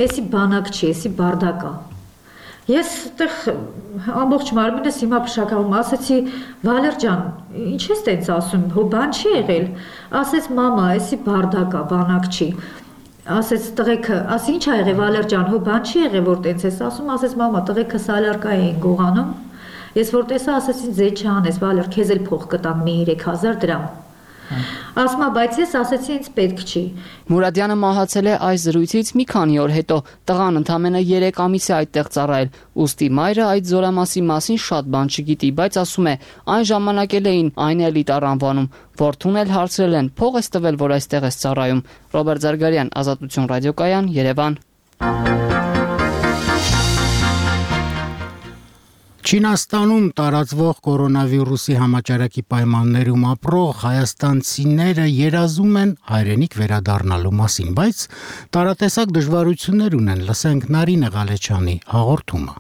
էսի բանակ չի, էսի բարդակ է։ Ես այդտեղ ամբողջ մարմինս հիմա փշակալում, ասեցի Վալեր ջան, ինչ ես տենց ասում, հո բան չի եղել։ Ասեց մամա, էսի բարդակ է, բանակ չի։ Ասեց տղեկը, ասի ինչ ա եղել Վալեր ջան, հո բան չի եղել, որ տենց ես ասում, ասեց մամա, տղեկը սալարկա էին գողանում։ Ես որ տեսա, ասեցին ձե չանես, Վալեր, քեզ էլ փող կտամ մի երեք հազար դրամ։ Ասմա, բայց ես ասեցի ինձ պետք չի։ Մուրադյանը մահացել է այս զրույցից մի քանի օր հետո։ Տղան ընդամենը երեք ամիս է այդտեղ ծառայել։ Ուստի մայրը այդ զորամասի մասին շատ բան չգիտի, բայց ասում է, այն ժամանակ էլ էին այն էլիտար անվանում։ Որդուն էլ հարցրել են, փող ես տվել, որ այստեղ ես ծառայում։ Ռոբերտ Զարգարյան, Ազատություն ռադիոկայան, Երևան։ Չինաստանում տարածվող կորոնավիրուսի համաճարակի պայմաններում ապրող հայաստանցիները երազում են հայրենիք վերադառնալու մասին, բայց տարատեսակ դժվարություններ ունեն, լսենք Նարինե Ղալեչյանի հաղորդումը։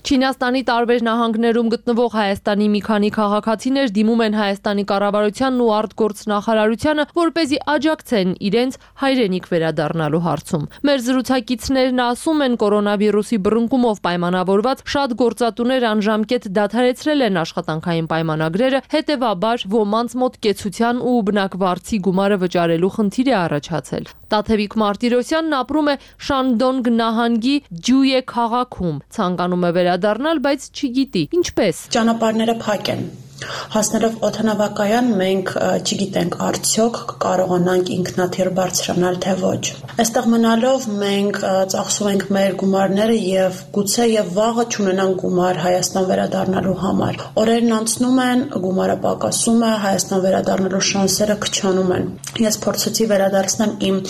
Չինաստանի տարբեր նահանգներում գտնվող Հայաստանի մի քանի քաղաքացիներ դիմում են Հայաստանի կառավարությանն ու արտգործնախարարությանը, որպեսզի աջակցեն իրենց հայրենիք վերադառնալու հարցում։ Մեր զրուցակիցներն ասում են, կորոնավիրուսի բռնկումով պայմանավորված շատ գործատուներ անժամկետ դադարեցրել են աշխատանքային պայմանագրերը, հետևաբար ոմանց մոտ կեցության ու բնակվարձի գումարը վճարելու խնդիր է առաջացել։ Տաթևիկ Մարտիրոսյանն ապրում է Շանդոնգ նահանգի Ջյուե քաղաքում, ցանկանում է վերադառնալ, բայց չգիտի ինչպես։ Ճանապարհները փակ են։ Հասնելով օդանավակայան մենք չգիտենք արդյոք կկարողանանք ինքնաթիռ բարձրանալ թե ոչ։ Այստեղ մնալով մենք ծախսում ենք մեր գումարները եւ գուցե եւ վաղը չունենանք գումար Հայաստան վերադառնալու համար։ Օրերն անցնում են, գումարը պակասում է, Հայաստան վերադառնալու շանսերը քչանում են։ Ես փորձեցի վերադարձնել իմ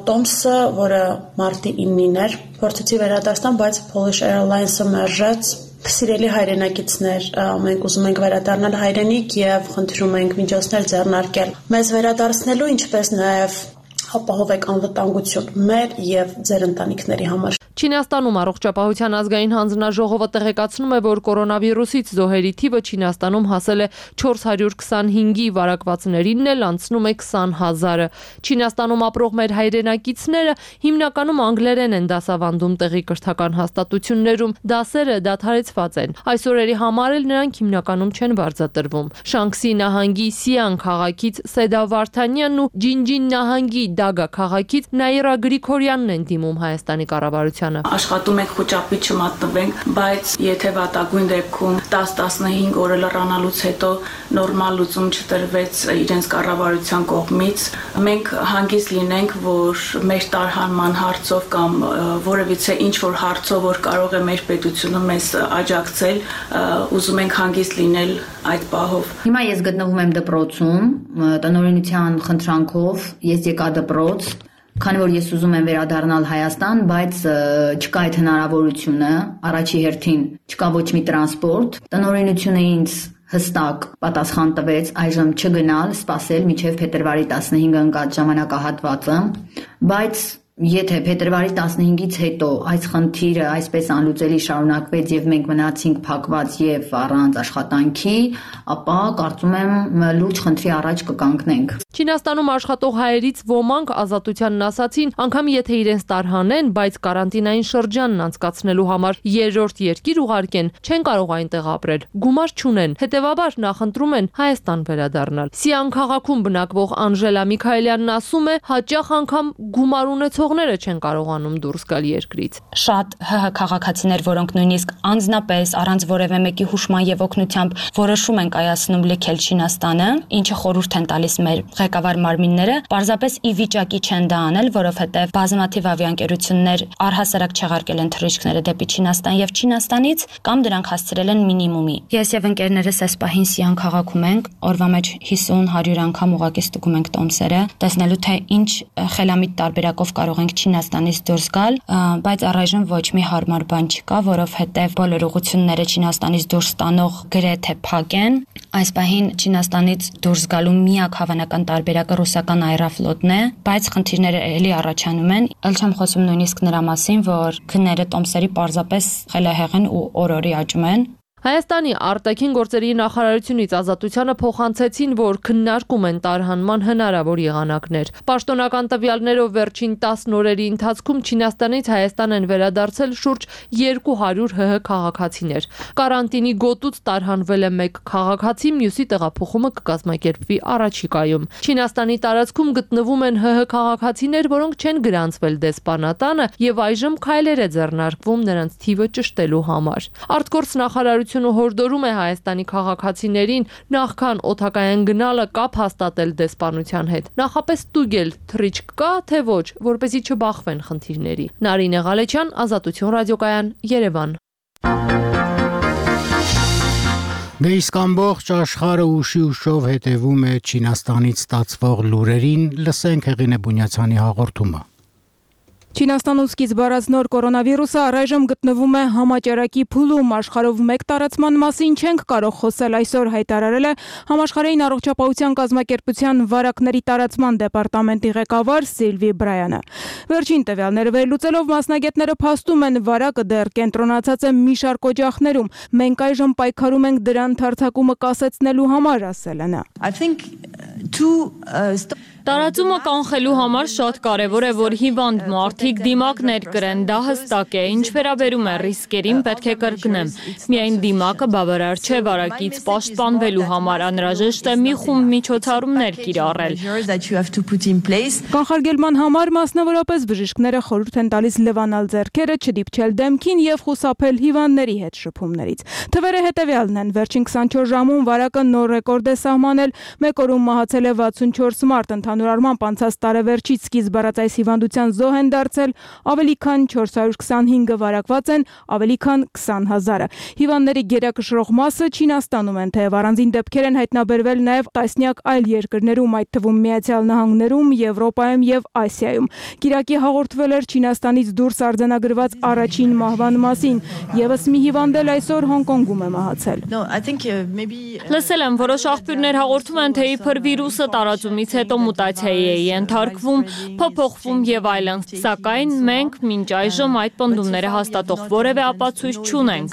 տոմսը, որը մարտի իննին էր, փորձեցի վերադարձնել, բայց Polish Airlines-ը մերժեց։ Սիրելի հայրենակիցներ, մենք ուզում ենք վերադառնալ հայրենիք եւ խնդրում ենք միջոցներ ձեռնարկել մեզ վերադարձնելու, ինչպես նաեւ ապահովեք անվտանգություն մեր եւ ձեր ընտանիքների համար։ Չինաստանում առողջապահության ազգային հանձնաժողովը տեղեկացնում է, որ կորոնավիրուսից զոհերի թիվը Չինաստանում հասել է չորս հարյուր քսանհինգի, վարակվածներինն էլ անցնում է քսան հազարը։ Չինաստանում ապրող մեր հայրենակիցները հիմնականում անգլերեն են դասավանդում տեղի կրթական հաստատություններում, դասերը դադարեցված են։ Այս օրերի համար էլ նրանք հիմնականում չեն վարձատրվում։ Շանքսի նահանգի Սիան քաղաքից Սեդա Վարդանյանն ու Ջինջին նահանգի Դագա քաղաքից Նաիրա Գրիգորյանն են դիմում Հայաստանի կառավարությանը։ Աշխատում ենք խոճապի չմատնվենք, բայց եթե վատագույն դեպքում տասը տասնհինգ օրը լռանալուց հետո նորմալ լուծում չտրվեց իրենց կառավարության կողմից, մենք հանգիստ լինենք, որ մեր տարհանման հարցով կամ որևիցե ինչ որ հարցով, որ կարող է մեր պետությունը մեզ աջակցել, ուզում ենք հանգիստ լինել այդ պահով։ Հիմա ես գտնվում եմ դպրոցում, տնօրինության խնդրանքով ես եկա դպրոց, քանի որ ես ուզում եմ վերադառնալ Հայաստան, բայց չկա այդ հնարավորությունը, առաջի հերթին չկա ոչ մի տրանսպորտ, տնօրինությունը ինձ հստակ պատասխան տվեց այժմ չգնալ, սպասել մինչև փետրվարի տասնհինգը ընկած ժամանակահատվածը, բայց եթե փետրվարի տասնհինգից հետո այս խնդիրը այսպես անլուծելի շարունակվեց եւ մենք մնացինք փակված եւ առանց աշխատանքի, ապա կարծում եմ լուրջ խնդրի առաջ կկանգնենք։ Չինաստանում աշխատող հայերից ոմանք Ազատությանն ասացին, անգամ եթե իրենց տարհանեն, բայց կարանտինային շրջանն անցկացնելու համար երրորդ երկիր ուղարկեն, չեն կարող այնտեղ ապրել, գումար չունեն, հետեւաբար նախընտրում են Հայաստան վերադառնալ։ Սիան քաղաքում բնակվող Անժելա Միքայելյանն ասում է, հաճախ անգամ գումար ունեցողները չեն կարողանում դուրս գալ երկրից։ Շատ ՀՀ քաղաքացիներ, որոնք նույնիսկ անձնապես առանց որևէ մեկի հուշման եւ օգնությամբ որոշում են կայացնում լքել Չինաստանը, ինչը խորհուրդ են տալիս մեր ղեկավար մարմինները, պարզապես ի վիճակի չեն դա անել, որովհետեւ բազմաթիվ ավիաընկերություններ առհասարակ չեղարկել են թռիչքները դեպի Չինաստան եւ Չինաստանից կամ դրանք հասցրել են մինիմումի։ Ես եւ ընկերներս այս պահին Սիան քաղաքում ենք, օրվա մեջ հիսուն հարյուր անգամ ուղակի ստուգում ենք տոմսերը, տեսնելու թե ինչ խելամիտ տարբերակով կարող կարող ենք Չինաստանից դուրս գալ, բայց առայժմ ոչ մի հարմար բան չկա, որովհետև բոլոր ուղղությունները Չինաստանից դուրս տանող գրեթե փակ են։ Այս պահին Չինաստանից դուրս գալու միակ հավանական տարբերակը ռուսական Aeroflot-ն է, բայց խնդիրները էլի առաջանում են։ Ել չեմ խոսում նույնիսկ նրա մասին, որ քնները տոմսերի պարզապես խելահեղ են ու օր-օրի աճում են։ Հայաստանի արտաքին գործերի նախարարությունից Ազատությանը փոխանցեցին, որ քննարկում են տարհանման հնարավոր եղանակներ։ Պաշտոնական տվյալներով վերջին տասն օրերի ընթացքում Չինաստանից Հայաստան են վերադարձել շուրջ երկու հարյուր ՀՀ քաղաքացիներ։ Կարանտինի գոտուց տարհանվել է մեկ քաղաքացի, մյուսի տեղափոխումը կկազմակերպվի առաջիկայում։ Չինաստանի տարածքում գտնվում են ՀՀ քաղաքացիներ, որոնք չեն գրանցվել դեսպանատանը եւ այժմ քայլեր է ձեռնարկվում նրանց թիվը ճշտելու համար։ Արտգործ նախարարությունը հորդորում է Հայաստանի քաղաքացիներին նախքան օդակայան գնալը կապ հաստատել դեսպանության հետ։ Նախապես ստուգել թռիչք կա, թե ոչ, որպեսզի չբախվեն խնդիրների։ Նարինե Ղալեչյան, Ազատություն ռադիոկայան, Երևան։ Դե իսկ ամբողջ աշխարհը ուշի ուշով հետևում է Չինաստանից ստացվող լուրերին, լսենք Հեղինե Բունյացյանի հաղորդումը։ Չինաստանում սկիզբ առած նոր կորոնավիրուսը առայժմ գտնվում է համաճարակի փուլում, աշխարհով մեկ տարածման մասին չենք կարող խոսել, այսօր հայտարարել է Համաշխարհային առողջապահության կազմակերպության վարակների տարածման դեպարտամենտի ղեկավար Սիլվի Բրայանը։ Վերջին տվյալները վերլուծելով մասնագետները փաստում են, վարակը դեռ կենտրոնացած է մի շարք օջախներում։ Մենք այժմ պայքարում ենք դրան թարցակումը կասեցնելու համար, ասել է նա։ Տարածումը կանխելու համար շատ կարևոր է, որ հիվանդ մարդիկ դիմակներ կրեն, դա հստակ է, ինչ վերաբերում է ռիսկերին, պետք է կրկնեմ։ Միայն դիմակը բավարար չէ վարակից պաշտպանվելու համար, անհրաժեշտ է մի խումբ միջոցառումներ կիրառել։ Կանխարգելման համար մասնավորապես բժիշկները խորհուրդ են տալիս լվանալ ձեռքերը, չդիպչել դեմքին եւ խուսափել հիվանդների հետ շփումներից։ Թվերը հետեւյալն են, վերջին քսանչորս ժամում վարակը նոր ռեկորդ է սահմանել, մեկ օրում մահացել է վաթսունչորս մարդ, ընդհանուր առմամբ անցած տարեվերջից սկիզբ առած այս հիվանդության զոհ են դարձել, ավելի քան չորս հարյուր քսանհինգը վարակված են, ավելի քան քսան հազարը։ Հիվանդների գերակշռող մասը Չինաստանում են, թեև առանձին դեպքեր են հայտնաբերվել նաև տասնյակ այլ երկրներում, այդ թվում Միացյալ Նահանգներում, Եվրոպայում եւ Ասիայում։ Կիրակի հաղորդվել էր Չինաստանից դուրս արձանագրված առաջին մահվան մասին, եւս մի հիվանդ էլ այսօր Հոնկոնգում է մահացել։ Լսել եմ, որոշ աղբյուրներ հաղորդում են, թե իբր վիրուսը տարածումից հետո մուտացիայի է ենթարկվում, փոփոխվում եւ այլն, սակայն մենք մինչ այժմ այդ պնդումները հաստատող որևէ ապացույց չունենք։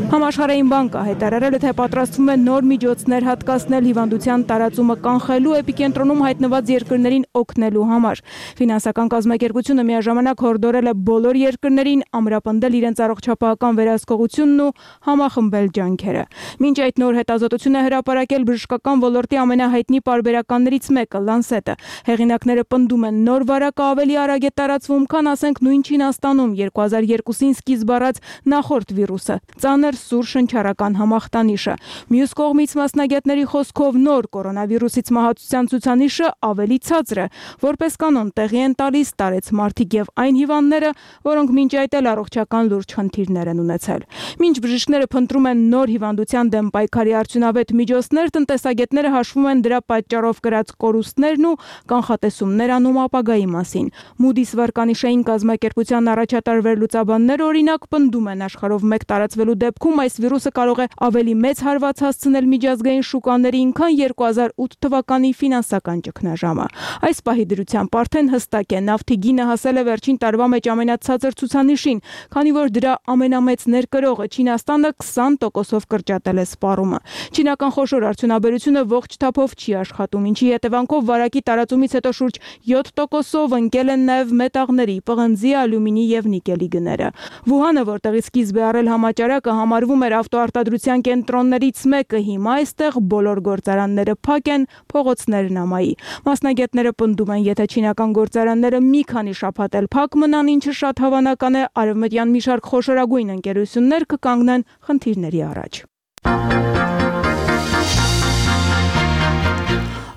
Համաշխարհային բանկը հայտարարել է, թե պատրաստվում է նոր միջոցներ հատկացնել հիվանդության տարածումը կանխելու, էպիկենտրոնում հայտնված երկրներին օգնելու համար։ Ֆինանսական կազմակերպությունը միաժամանակ հորդորել է բոլոր երկրներին ամրապնդել իրենց առողջապահական վերահսկողությունն ու համախմբել ջանքերը։ Մինչ այդ նոր հետազոտությունը հրապարակել բժշկական ոլորտի ամենահայտնի պարբերականներից մեկը՝ Lancet-ը։ Հեղինակները պնդում են, նոր վարակը ավելի արագ է տարածվում, քան ասենք նույն Չինաստանում երկու հազար երկուսին սկիզբ առած նախորդ վիրուսը։ Ծանր սուր շնչառական համախտանիշը։ Մյուս կողմից մասնագետների խոսքով նոր կորոնավիրուսից մահացության ցուցանիշը ավելի ցածր է, որպես կանոն տեղի են տալիս տարեցմարտիկ եւ այն հիվանդները, որոնք մինչ այդ էլ առողջական լուրջ խնդիրներ են ունեցել։ Մինչ բժիշկները փնտրում են նոր հիվանդության դեմ պայքարի արդյունավետ միջոցներ, տնտեսագետները հաշվում են դրա պատճառով կրած կորուստներն ու կանխատեսումներ անում ապագայի մասին։ Moody's վարկանիշային կազմակերպության առաջատար վերլուծաբաններ օրինակ պնդում են աշխարհով մեկ տարածվելու դեպքում այս վիրուսը կարող է ավելի մեծ հարված հասցնել միջազգային շուկաներին, քան երկու հազար ութ թվականի ֆինանսական ճգնաժամը։ Այս պահի դրությամբ արդեն հստակ է, նավթի գինը հասել է վերջին տարվա մեջ ամենացածր ցուցանիշին, քանի որ դրա ամենամեծ ներկրողը Չինաստանը քսան տոկոսով կրճատել է սպառումը։ Չինական խոշոր արդյունաբերությունը ողջ թափով չի աշխատում, ինչի հետևանքով վարակի տարածումից հետո շուրջ յոթ տոկոսով ընկել են նաև մետաղների, պղնձի, ալյումինի եւ նիկելի գները։ Վուհանը, որտեղից սկիզբ է առել համաճարակը, համարվում էր ավտոարտադրության կենտրոններից մեկը, հիմա այստեղ բոլոր գործարանները փակ են, փողոցներն ամայի։ Մասնագետները պնդում են, եթե չինական գործարանները մի քանի շաբաթ էլ փակ մնան, ինչը շատ հավանական է, արևմտյան մի շարք խոշորագույն ընկերություններ կկանգնեն խնդիրների առաջ։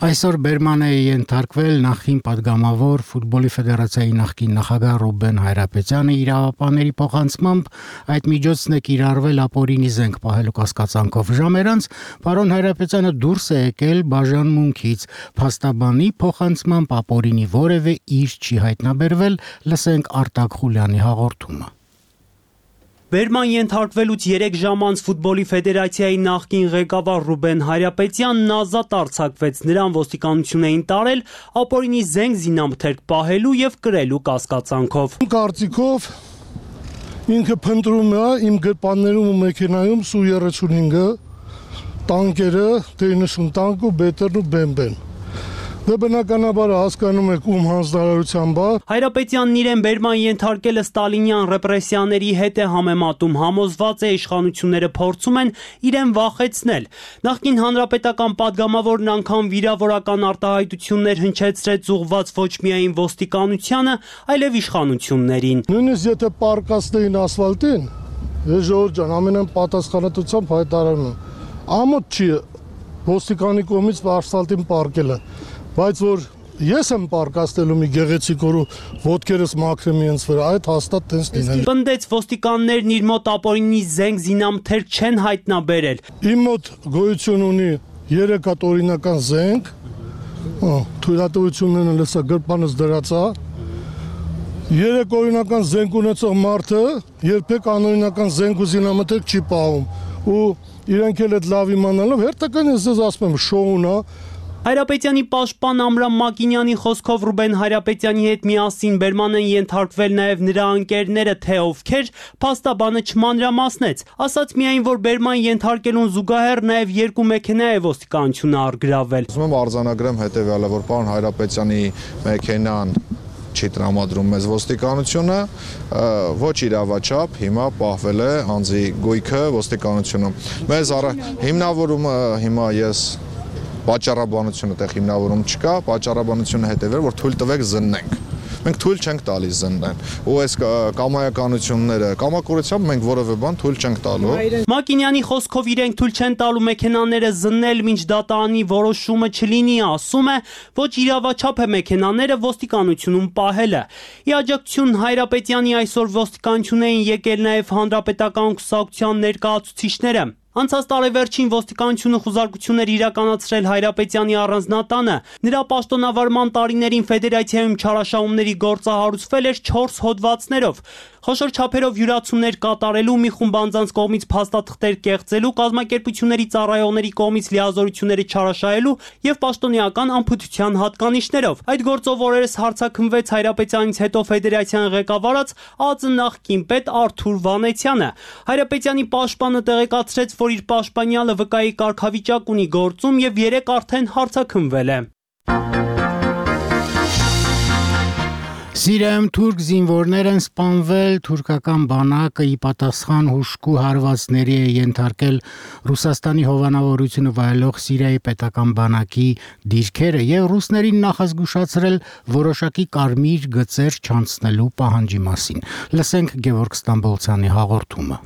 Այսօր Բերման է ենթարկվել նախկին պատգամավոր ֆուտբոլի ֆեդերացիայի նախկին նախագահ Ռուբեն Հայրապետյանը իրավապահների փոխանցմամբ այդ միջոցն է կիրառվել ապօրինի զենք պահելու կասկածանքով ժամեր անց պարոն Հայրապետյանը դուրս է եկել բաժանմունքից փաստաբանի փոխանցմամբ ապօրինի որևէ իր չի հայտնաբերվել լսենք Արտակ Խուլյանի հաղորդումը Բերման ենթարկվելուց երեք ժամ անց ֆուտբոլի ֆեդերացիայի նախկին ղեկավար Ռուբեն Հայրապետյանն ազատ արձակվեց, նրան ոստիկանություն էին տարել ապօրինի զենք զինամթերք պահելու եւ կրելու կասկածանքով։ Կարծիքով ինքը փնտրում է իմ գրպաններում ու մեքենայում Սու երեսունհինգը, տանկերը, T նինety տանկ ու բետերն ու բեմբեն։ Դե բնականաբար հասկանում եք ում հանձնարարությամբ է։ Հայրապետյանն իրեն Բերման ենթարկելը ստալինյան ռեպրեսիաների հետ է համեմատում, համոզված է իշխանությունները փորձում են իրեն վախեցնել։ Նախկին հանրապետական падգամավորն անգամ վիրավորական արտահայտություններ հնչեցրեց ուղղված ոչ միայն ոստիկանությանը, այլև իշխանություններին։ Նույնիսկ եթե պարկասներին ասֆալտին, ես ժողովուրդ ջան, ամենայն պատասխանատվությամբ հայտարարում եմ, ամոթ չի ոստիկանի կողմից ասֆալտին պարկելը։ Բայց որ ես եմ պարկաստելու մի գեղեցիկ օրու ոտքերս մաքրեմ ինձ վրա, այդ հաստատ տենց լինել։ Պնդեց ոստիկաններն իր մոտ ապօրինի զենք զինամթերք չեն հայտնաբերել։ Իմ մոտ գոյություն ունի երեք հատ օրինական զենք, թույլատվություններն լսա գրպանս դրած է։ Երեք օրինական զենք ունեցող մարդը երբեք անօրինական զենք ու զինամթերք չի պահում ու իրենք էլ այդ լավ իմանալով հերթական ես ձեզ ասում եմ շոուն է։ Հայրապետյանի պաշտպան Ամրամ Մակինյանի խոսքով Ռուբեն Հայրապետյանի հետ միասին Բերման են ենթարկվել նաև նրա ընկերները, թե ովքեր, փաստաբանը չմանրամասնեց, ասաց միայն, որ Բերման ենթարկելուն զուգահեռ նաև երկու մեքենա է ոստիկանությունը առգրավել։ Ուզում եմ արձանագրեմ հետևյալը, որ պարոն Հայրապետյանի մեքենան չի տրամադրում մեզ ոստիկանությունը, ոչ իրավաչափ հիմա պահվել է անձի գույքը ոստիկանությունում։ Մեզ հիմնավորումը հիմա ես Պատճառաբանությունը տեղ հիմնավորում չկա, պատճառաբանությունը հետևել, որ թույլ տվեք զննենք։ Մենք թույլ չենք տալիս զննեն։ Ու այս կամայականությունները, կամակորությամբ մենք որևէ բան թույլ չենք տալու։ Մակինյանի խոսքով իրենք թույլ չեն տալու մեքենաները զննել, մինչ դատարանի որոշումը չլինի, ասում է, ոչ իրավաչափ է մեքենաները ոստիկանությունում պահելը։ Ի աջակցություն Հայրապետյանի այսօր ոստիկանություն էին եկել նաև հանրապետական կուսակցության ներկայացուցիչները։ Անցած տարեվերջին ոստիկանությունը խուզարկություններ իրականացրել Հայրապետյանի առանձնատանը, նրա պաշտոնավարման տարիներին ֆեդերացիայում չարաշահումների գործը հարուցվել էր չորս հոդվածներով։ Խոշոր չափերով յուրացումներ կատարելու, մի խումբ անձանց կողմից փաստաթղթեր կեղծելու, կազմակերպությունների ծառայողների կողմից լիազորությունները չարաշահելու եւ պաշտոնեական անփութության հատկանիշներով։ Այդ գործով օրերս հարցաքննվեց Հայրապետյանից հետո ֆեդերացիան ղեկավարած ԱԾ նախկին պետ Արթուր Վանեցյանը։ Հայրապետյանի պաշտպանը տեղեկացրեց, որ իր պաշտպանյալը վկայի կարգավիճակ ունի գործում եւ երեք արդեն հարցաքննվել է։ Սիրիայում թուրք զինվորներ են սպանվել, թուրքական բանակը ի պատասխան հուժկու հարվածների է ենթարկել Ռուսաստանի հովանավորությունը վայելող Սիրիայի պետական բանակի դիրքերը եւ ռուսներին նախազգուշացրել որոշակի կարմիր գծեր չանցնելու պահանջի մասին։ Լսենք Գևորգ Ստամբոլցյանի հաղորդումը։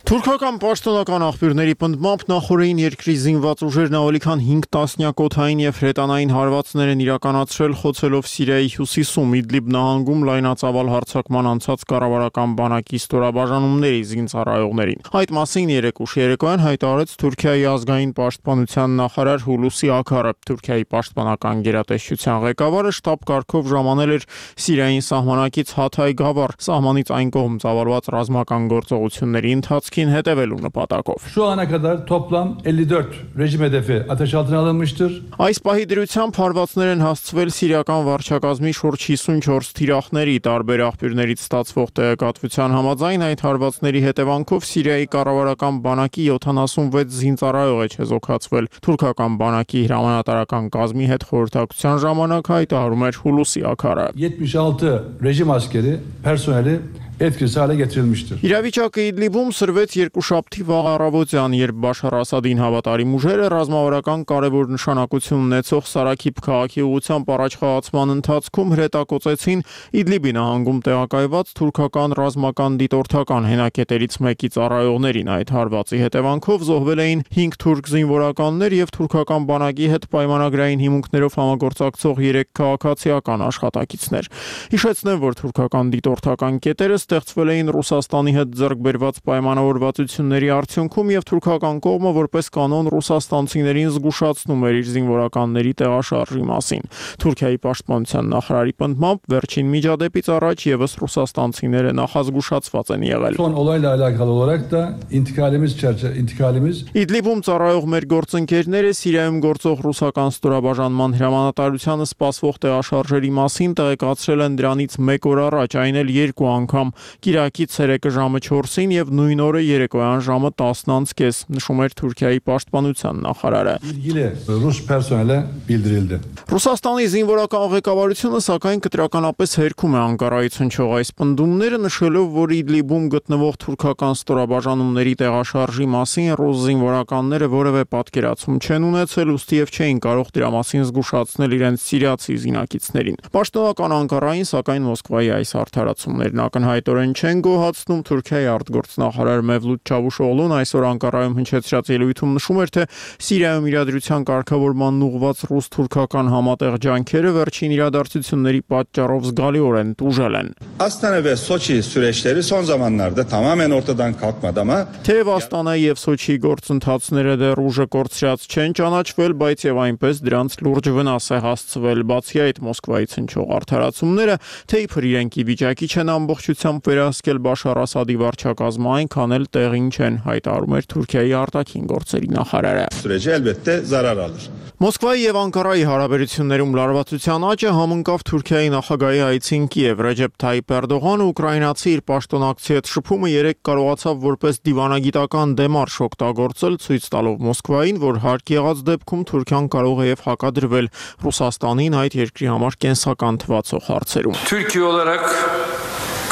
Թուրքական պաշտոնական աղբյուրների պնդմամբ նախորդին երկրի զինված ուժերն ավելի քան հինգ տասնյակ օդային եւ հրետանային հարվածներ են իրականացրել խոցելով Սիրիայի հյուսիսում Իդլիբ նահանգում լայնածավալ հարձակման անցած կառավարական բանակի ստորաբաժանումների զինծառայողներին։ Այդ մասին երեկ ուշ երեկոյան հայտարարեց Թուրքիայի ազգային պաշտպանության նախարար Հուլուսի Աքարը։ Թուրքիայի պաշտպանական գերատեսչության ղեկավարը շտաբ կարգով ժամանել էր Սիրիային սահմանակից Հաթայ Գավառ, սահմանից այն կողմ ծավալված ռազմական գործողությունների ընթացք հետևելու նպատակով։ Şu ana kadar toplam elli dört rejim hedefi ateş altına alınmıştır. Այս պահի դրությամբ հարվածներ են հասցվել սիրիական վարչակազմի շուրջ հիսունչորս թիրախների, տարբեր աղբյուրներից ստացվող տեղեկատվության համաձայն այդ հարվածների հետևանքով Սիրիայի կառավարական բանակի յոթանասունվեց զինծառայող է չեզոքացվել։ Թուրքական բանակի հրամանատարական կազմի հետ խորհրդակցության ժամանակ հայտարարում էր Հուլուսի Աքարը։ yetmiş altı rejim askeri personeli etkisiz hale getirilmiştir. Իրավիճակը Իդլիբում սրվեց երկուշաբթի վաղ առավոտյան, երբ Բաշար Ասադին հավատարիմ ուժերը ռազմավարական կարևոր նշանակություն ունեցող Սարաքիբ քաղաքի ուղղությամբ առաջխաղացման ընթացքում հրետակոծեցին Իդլիբի նահանգում տեղակայված թուրքական ռազմական դիտորդական հենակետերից մեկի ծառայողներին։ Այդ հարվածի հետևանքով զոհվել էին հինգ թուրք զինվորականներ եւ թուրքական բանակի հետ պայմանագրային հիմունքներով համագործակցող երեք քաղաքացիական աշխատակիցներ։ Հիշեցնեմ, որ թուրքական դիտորդական կետերը ստեղծվել էին Ռուսաստանի հետ ձեռք բերված պայմանավորվածությունների արդյունքում եւ թուրքական կողմը որպես կանոն ռուսաստանցիներին զգուշացնում էր իր զինվորականների տեղաշարժի մասին։ Թուրքիայի պաշտպանության նախարարի պնդմամբ վերջին միջադեպից առաջ եւս ռուսաստանցիները նախազգուշացված են եղել։ Son olayla alakalı olarak da intikalimiz çerçeve intikalimiz Իդլիբում ծառայող մեր գործընկերները Սիրիայում գործող ռուսական ստորաբաժանման հրամանատարությանը սպասվող տեղաշարժերի մասին տեղեկացրել են դրանից մեկ օր առաջ, այն էլ երկու անգամ՝ Կիրակի ցերեկը ժամը չորսին եւ նույն օրը երեկոյան ժամը տասն անց կես, նշում էր Թուրքիայի պաշտպանության նախարարը։ ilgili Rus personele bildirildi. Ռուսաստանի զինվորական ղեկավարությունը սակայն կտրականապես հերքում է Անկարայից հնչող այս պնդումները, նշելով, որ Իդլիբում գտնվող թուրքական ստորաբաժանումների տեղաշարժի մասին ռուս զինվորականները որևէ պատկերացում չեն ունեցել, ուստիև չէին կարող դրա մասին զգուշացնել իրենց սիրիացի զինակիցներին։ Պաշտոնական Անկարային սակայն Մոսկվայի այս արդարացումներն ակնհայտորեն չեն գոհացնում։ Թուրքիայի արտգործնախարար Մևլութ Չավուշօղլուն այսօր Անկարայում հնչեցրած ելույթում նշում էր, թե Սիրիայում իրադրության կարգավորման ուղղված ռուս-թուրքական համատեղ ջանքերը վերջին իրադարձությունների պատճառով զգալիորեն տուժել են։ Astana ve Soçi süreçleri son zamanlarda tamamen ortadan kalkmadı ama Թեև Աստանայի եւ Սոչիի գործընթացները դեռ ուժը կորցրած չեն ճանաչվել, բայց եւ այնպես դրանց լուրջ վնաս է հասցվել։ Բացի այդ, Մոսկվայից հնչող արդարացումները, թե իբր իրենք ի վիճակի չեն ամբողջությամբ վերահսկել Բաշար Ասադի վարչակազմը, այնքան էլ տեղին չեն, հայտարարում էր Թուրքիայի արտաքին գործերի նախարարը։ süreci elbette zarar alır. Մոսկվայի եւ Անկարայի հարաբերություններում լարվածության աճը համընկավ Թուրքիայի նախագահի այցին Կիև։ Ռեջեփ Թայիփ Էրդողանը ուկրաինացի իր պաշտոնակցի հետ շփումը երեք կարողացավ որպես դիվանագիտական դեմարշ օգտագործել, ցույց տալով Մոսկվային, որ հարկ եղած դեպքում Թուրքիան կարող է եւ հակադրվել Ռուսաստանին այդ երկրի համար կենսական թվացող հարցերում։ Türkiye olarak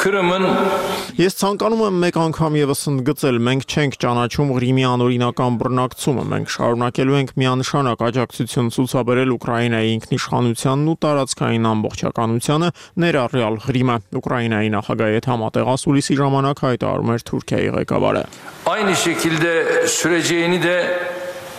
Kırım'ın Ես ցանկանում եմ մեկ անգամ եւս ընդգծել, մենք չենք ճանաչում Ղրիմի անօրինական բռնակցումը, մենք շարունակելու ենք միանշանակ աջակցություն ցուցաբերել Ուկրաինայի ինքնիշխանությանն ու տարածքային ամբողջականությանը, ներառյալ Ղրիմը։ Ուկրաինայի նախագահի հետ համատեղ ասուլիսի ժամանակ հայտարարում էր Թուրքիայի ղեկավարը։ aynı şekilde süreceğini de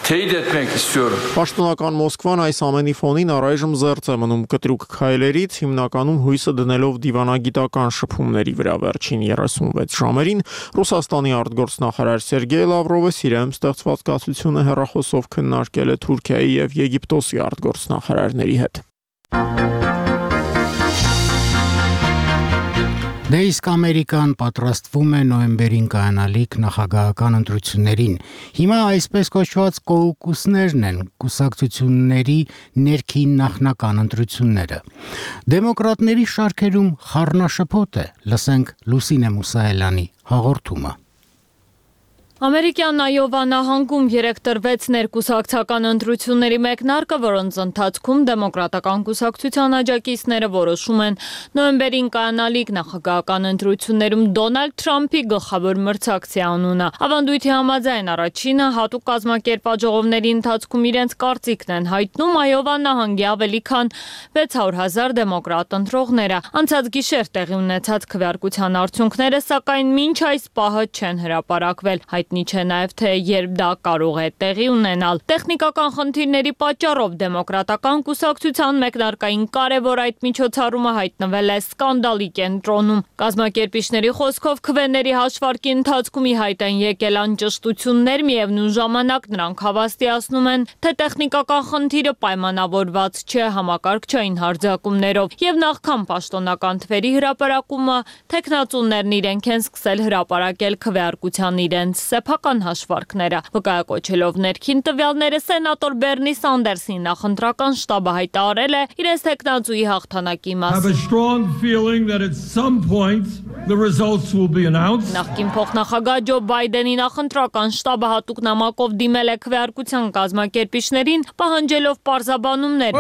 teyit etmek istiyorum. Պաշտոնական Մոսկվան այս ամենի ֆոնին առայժմ զերծ է մնում կտրուկ քայլերից, հիմնականում հույսը դնելով դիվանագիտական շփումների վրա։ Վերջին երեսունվեց ժամերին Ռուսաստանի արտգործնախարար Սերգեյ Լավրովը Սիրիայում ստեղծված կացությունը հեռախոսով քննարկել է Թուրքիայի եւ Եգիպտոսի արտգործնախարարների հետ։ Դե իսկ Ամերիկան պատրաստվում է նոյեմբերին կայանալիք նախագահական ընտրություններին։ Հիմա այսպես կոչված կոկուսներն են, կուսակցությունների ներքին նախնական ընտրությունները։ Դեմոկրատների շարքերում խառնաշփոթ է, լսենք Լուսինե Մուսայելյանի հաղորդումը։ Ամերիկյան Այովա նահանգում երեկ տրվեց ներկուսակցական ընտրությունների մեկնարկը, որոնց ընթացքում դեմոկրատական կուսակցության աջակիցները որոշում են նոյեմբերին կայանալիք նախագահական ընտրություններում Դոնալդ Թրամփի գլխավոր մրցակցի անունը։ Ավանդույթի համաձայն առաջինը հատուկ կազմակերպված ժողովների ընթացքում իրենց կարծիքն են հայտնում Այովա նահանգի ավելի քան վեց հարյուր հազար դեմոկրատ ընտրողները։ Անցած գիշեր տեղի ունեցած քվեարկության արդյունքները սակայն մինչ այս պահը չեն հրապարակվել։ Հայտնի չէ նաև թե երբ դա կարող է տեղի ունենալ։ Տեխնիկական խնդիրների պատճառով դեմոկրատական կուսակցության մեկնարկային կարևոր այդ միջոցառումը հայտնվել է սկանդալի կենտրոնում։ Կազմակերպիչների խոսքով քվեների հաշվարկի ընթացքում ի հայտ են եկել անճշտություններ, միևնույն ժամանակ նրանք հավաստիացնում են, թե տեխնիկական խնդիրը պայմանավորված չէ համակարգչային հարձակումներով, եւ նախքան պաշտոնական թվերի հրապարակումը թեկնածուներն իրենք են սկսել հրապարակել քվեարկության իրենց սեփական հաշվարկները։ Վկայակոչելով ներքին տվյալները Սենատոր Բերնի Սանդերսի նախընտրական շտաբը հայտարարել է իրենց տեխնացուի հաղթանակի մասին։ Նախկին փոխնախագահ Ջո Բայդենի նախընտրական շտաբը հատուկ նամակով դիմել է քվեարկության կազմակերպիչներին, պահանջելով պարզաբանումներ։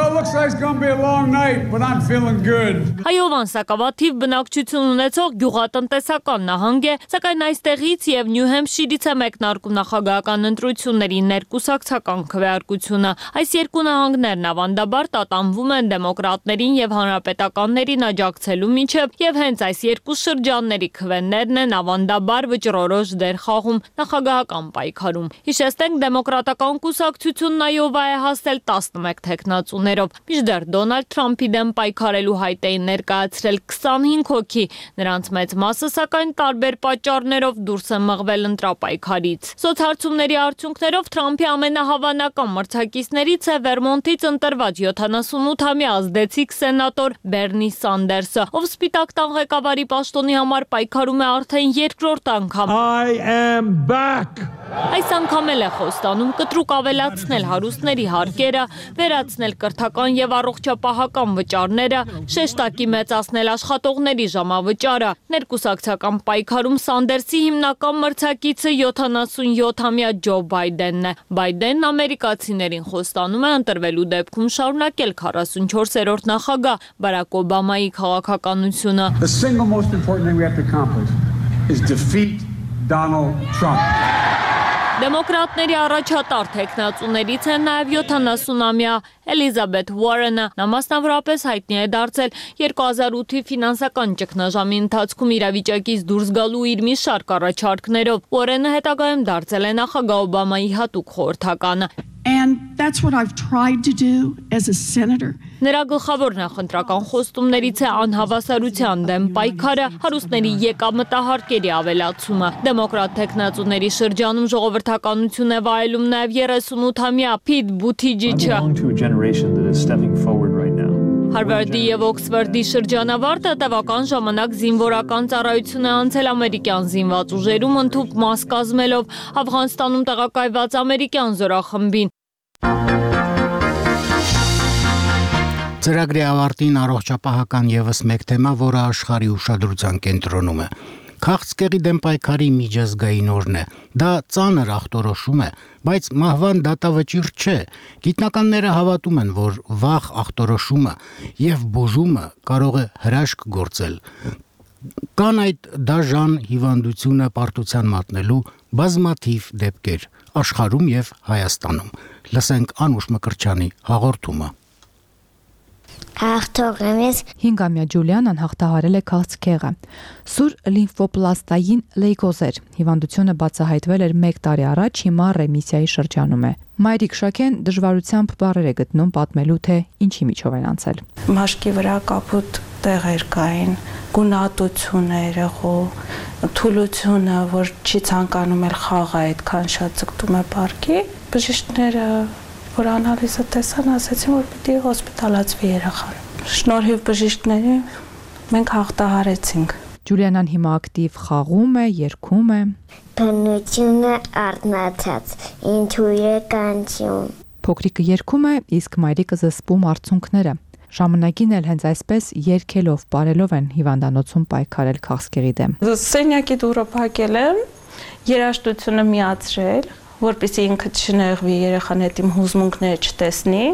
Հայովան սակավաթիվ բնակչություն ունեցող գյուղատնտեսական նահանգ է, սակայն այստեղից եւ Նյու Հեմփշիրից է մեկնարկում նախագահական ընտրությունների ներկուսակցական քվեարկությունը։ Այս երկու նահանգներն ավանդաբար տատանվում են դեմոկրատներին եւ հանրապետականներին աջակցելու միջև եւ հենց այս երկու շրջանների քվեներն են ավանդաբար վճռորոշ դեր խաղում նախագահական պայքարում։ Հիշեցնենք, դեմոկրատական կուսակցությունն Այովա է հասել տասնմեկ թեկնածուներով։ Մինչդեռ Դոնալդ Թրամփի դեմ պայքարելու հայտ էին ներկայացրել քսանհինգ հոգի, նրանց մեծ մասը սակայն տարբեր պատճառներով դուրս են մղվել ընտրապայքարից։ Սոցհարցումների արդյունքներով Թրամփի ամենահավանական մրցակիցներից է Վերմոնտից ընտրված յոթանասունութամյա ազդեցիկ սենատոր Բերնի Սանդերսը, ով Սպիտակ տան ղեկավարի պաշտոնի համար պայքարում է արդեն երկրորդ անգամ։ I am back. Այս անգամ էլ է խոստանում կտրուկ ավելացնել հարուստների հարկերը, վերացնել կրթական եւ առողջապահական վճարները, շեշտակի մեծացնել աշխատողների ժամավճարը։ Ներկուսակցական պայքարում Սանդերսի հիմնական մրցակիցը յոթանասունյոթամյա Ջո Բայդենն է։ Բայդենն ամերիկացիներին խոստանում է ընտրվելու դեպքում շարունակել քառասունչորսերորդ նախագահ Բարակ Օբամայի քաղաքականությունը։ The single most important thing we have to accomplish is defeat Donald Trump. Դեմոկրատների առաջատար թեկնածուներից է նաև յոթանասունամյա Էլիզաբեթ Ուորենը։ Նա մասնավորապես հայտնի է դարձել երկու հազար ութի ֆինանսական ճգնաժամի ընթացքում իրավիճակից դուրս գալու իր մի շարք առաջարկներով։ Ուորենը հետագայում դարձել է նախագահ Օբամայի հատուկ խորհրդականը։ And that's what I've tried to do as a senator. Նրա գլխավոր նախընտրական խոստումներից է անհավասարության դեմ պայքարը, հարուստների եկամտահարկերի ավելացումը։ Դեմոկրատ թեկնածուների շրջանում ժողովրդականություն է վայելում նաև երեսունութամյա Փիթ Բութիջիչը։ Հարվարդի եւ Օքսֆորդի շրջանավարտը տևական ժամանակ զինվորական ծառայություն է անցել ամերիկյան զինված ուժերում, ընդհուպ մաս կազմելով Աֆղանստանում տեղակայված ամերիկյան զորախմբին։ Ծրագրի ավարտին առողջապահական եւս մեկ թեմա, որը աշխարհի ուշադրության կենտրոնում է։ Քաղցկեղի դեմ պայքարի միջազգային օրն է։ Դա ծանր ախտորոշում է, բայց մահվան դատավճիռ չէ։ Գիտնականները հավատում են, որ վաղ ախտորոշումը եւ բուժումը կարող է հրաշք գործել։ Կան այդ դաժան հիվանդությունը պարտության մատնելու բազմաթիվ դեպքեր աշխարհում եւ Հայաստանում։ Լսենք Անուշ Մկրտչյանի հաղորդումը։ Հաղթողներից հինգամյա Ջուլիանան հաղթահարել է քաղցկեղը։ Սուր լիմֆոպլաստային լեյկոզեր հիվանդությունը բացահայտվել էր մեկ տարի առաջ, հիմա ռեմիսիայի շրջանում է։ Մայրիկ Շաքեն դժվարությամբ բառեր է գտնում պատմելու, թե ինչի միջով են անցել։ Մաշկի վրա կապուտ տեղեր կային, գունատություն է երեղու, թուլությունը, որ չի ցանկանում էլ խաղը այդքան շատ ձգտում է պարկի, բժիշկները որ անալիզը տեսան, ասացին, որ պիտի հոսպիտալացվի երեխան։ Շնորհիվ բժիշկների մենք հաղթահարեցինք։ Ջուլիանան հիմա ակտիվ խաղում է, երգում է։ Բնությունը արտնացած, ինտուիցիան։ Փոքրիկը երգում է, իսկ մայրիկը զսպում արցունքները։ Ժամանակին էլ հենց այսպես երգելով, բարելով են հիվանդանոցում պայքարել քաղցկեղի դեմ։ Սենյակի դուռը փակել եմ, երաժշտությունը միացրել, որպեսզի ինքը չնեղվի, երեխան հետ իմ հուզմունքները չտեսնի,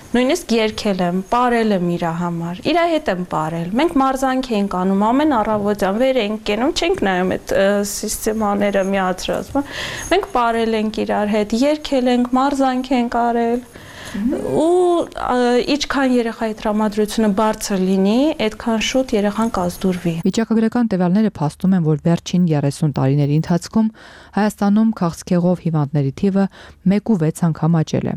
նույնիսկ երգել եմ, պարել եմ իր համար, իր հետ եմ պարել։ Մենք մարզանք էինք անում, ամեն առավոտյան վեր էինք կենում, չենք նայում այդ սիստեմաները միացրած։ Մենք պարել ենք իրար հետ, երգել ենք, մարզանք ենք արել։ Ու ինչքան երեխայի տրամադրությունը բարձր լինի, այդքան շուտ երեխան կազդուրվի։ Վիճակագրական տվյալները փաստում են, որ վերջին երեսուն տարիների ընթացքում Հայաստանում քաղցկեղով հիվանդների թիվը մեկ ու վեց անգամ աճել է։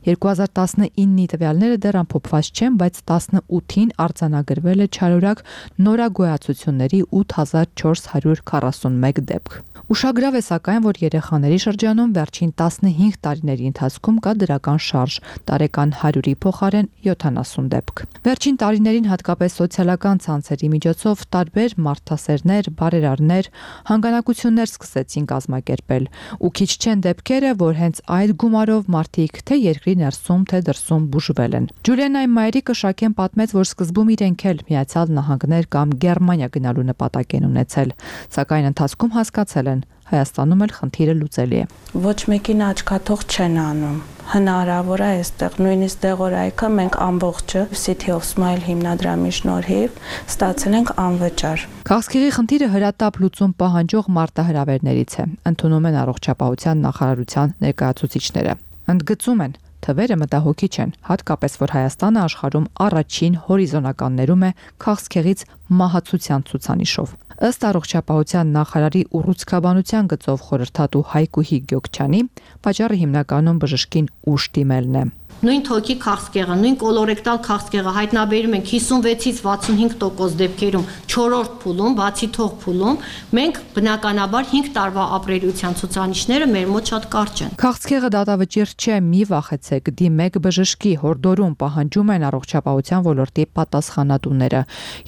երկու հազար տասնինի տվյալները դեռ ամփոփված չեն, բայց տասնութին արձանագրվել է չարորակ նորագոյացությունների ութ հազար չորս հարյուր քառասունմեկ դեպք։ Ուշագրավ է սակայն, որ երեխաների շրջանում վերջին տասնհինգ տարիների ընթացքում կա դրական շարժ, տարեկան հարյուրի փոխարեն յոթանասուն դեպք։ Վերջին տարիներին հատկապես սոցիալական ցանցերի միջոցով տարբեր մարդասերներ, բարերարներ, հանգանակություններ սկսեցին կազմակերպել, ու քիչ չեն դեպքերը, որ հենց այդ գումարով մարդիկ թե երկրի ներսում, թե դրսում բուժվել են։ Ջուլիանայի մայրիկը Շաքեն պատմեց, որ սկզբում իրենք էլ Միացյալ Նահանգներ կամ Գերմանիա գնալու նպատակ են ունեցել, սակայն ընթացքում հասկացել են Հայաստանում էլ խնդիրը լուծելի է։ Ոչ մեկին աչքաթող չեն անում։ Հնարավոր է այստեղ նույնիսկ դեղորայքը մենք ամբողջը City of Smile հիմնադրամի շնորհիվ ստացել ենք անվճար։ Քաղցկեղի խնդիրը հրատապ լուծում պահանջող մարտահրավերներից է, ընդունում են առողջապահության նախարարության ներկայացուցիչները։ Ընդգծում են, թվերը մտահոգիչ են, հատկապես որ Հայաստանը աշխարհում առաջին հորիզոնականներում է քաղցկեղից մահացության ցուցանիշով։ Ըստ առողջապահության նախարարի ուռուցքաբանության գծով խորհրդատու Հայկուհի Գյոքչյանի, պատճառը հիմնականում բժշկին ուշ դիմելն է։ Նույն թոքի քաղցկեղը, նույն կոլորեկտալ քաղցկեղը հայտնաբերում ենք հիսունվեցից վաթսունհինգ տոկոս դեպքերում չորրորդ փուլում, բացի թող փուլում, մենք բնականաբար հինգ տարվա ապրելիության ցուցանիշները մեր մոտ շատ կարճ են։ Քաղցկեղը դատավճիռ չէ, մի վախեցեք, դիմեք բժշկի, հորդորում պահանջում են առողջապահության ոլորտի պատասխանատուները։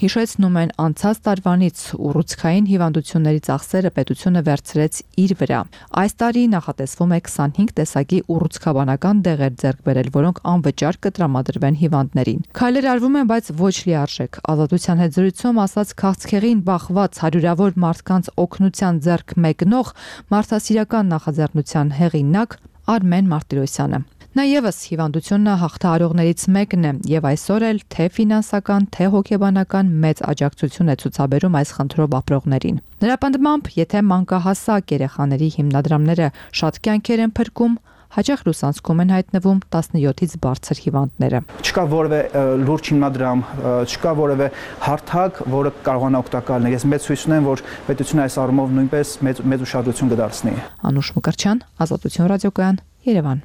Հիշեցնում են անցած տարվանից ուռուցքային հիվանդությունների ծախսերը պետությունը վերցրեց իր վրա։ Այս տարի նախատեսվում է քսանհինգ տեսակի ուռուցքաբանական դեղեր ձեռք բերել, որոնք անվճար կտրամադրվեն հիվանդներին։ Քայլեր արվում են, բայց ոչ լիարժեք։ Ազատության հետ զրույցում ասաց քաղցկեղին բախված հարյուրավոր մարդկանց օգնության ձեռք մեկնող մարդասիրական նախաձեռնության հեղինակ Արմեն Մարտիրոսյանը։ Նա ևս հիվանդությունը հաղթահարողներից մեկն է եւ այսօր էլ թե ֆինանսական, թե հոգեբանական մեծ աջակցություն է ցուցաբերում այս խնդրով ապրողներին։ Նրա պնդմամբ, եթե մանկահասակ երեխաների հիմնադրամները շատ կյանքեր են փրկում, հաճախ լուսանցքում են հայտնվում տասնյոթից բարձր հիվանդները։ Չկա որևէ լուրջ հիմնադրամ, չկա որևէ հարթակ, որը կարողանա օգտակար լինել։ Ես մեծ հույս ունեմ, որ պետությունը այս առումով նույնպես մեծ մեծ ուշադրություն կդարձնի։ Անուշ Մկրտչյան, Ազատություն ռադիոկայան, Երևան։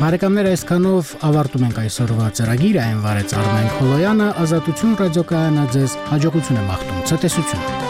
Բարեկամներ, այսքանով ավարտում ենք այսօրվա ծրագիրը, այն վարեց Արմեն Քոլոյանը, Ազատություն ռադիոկայանը ձեզ հաջողություն է մաղթում, ցտեսություն։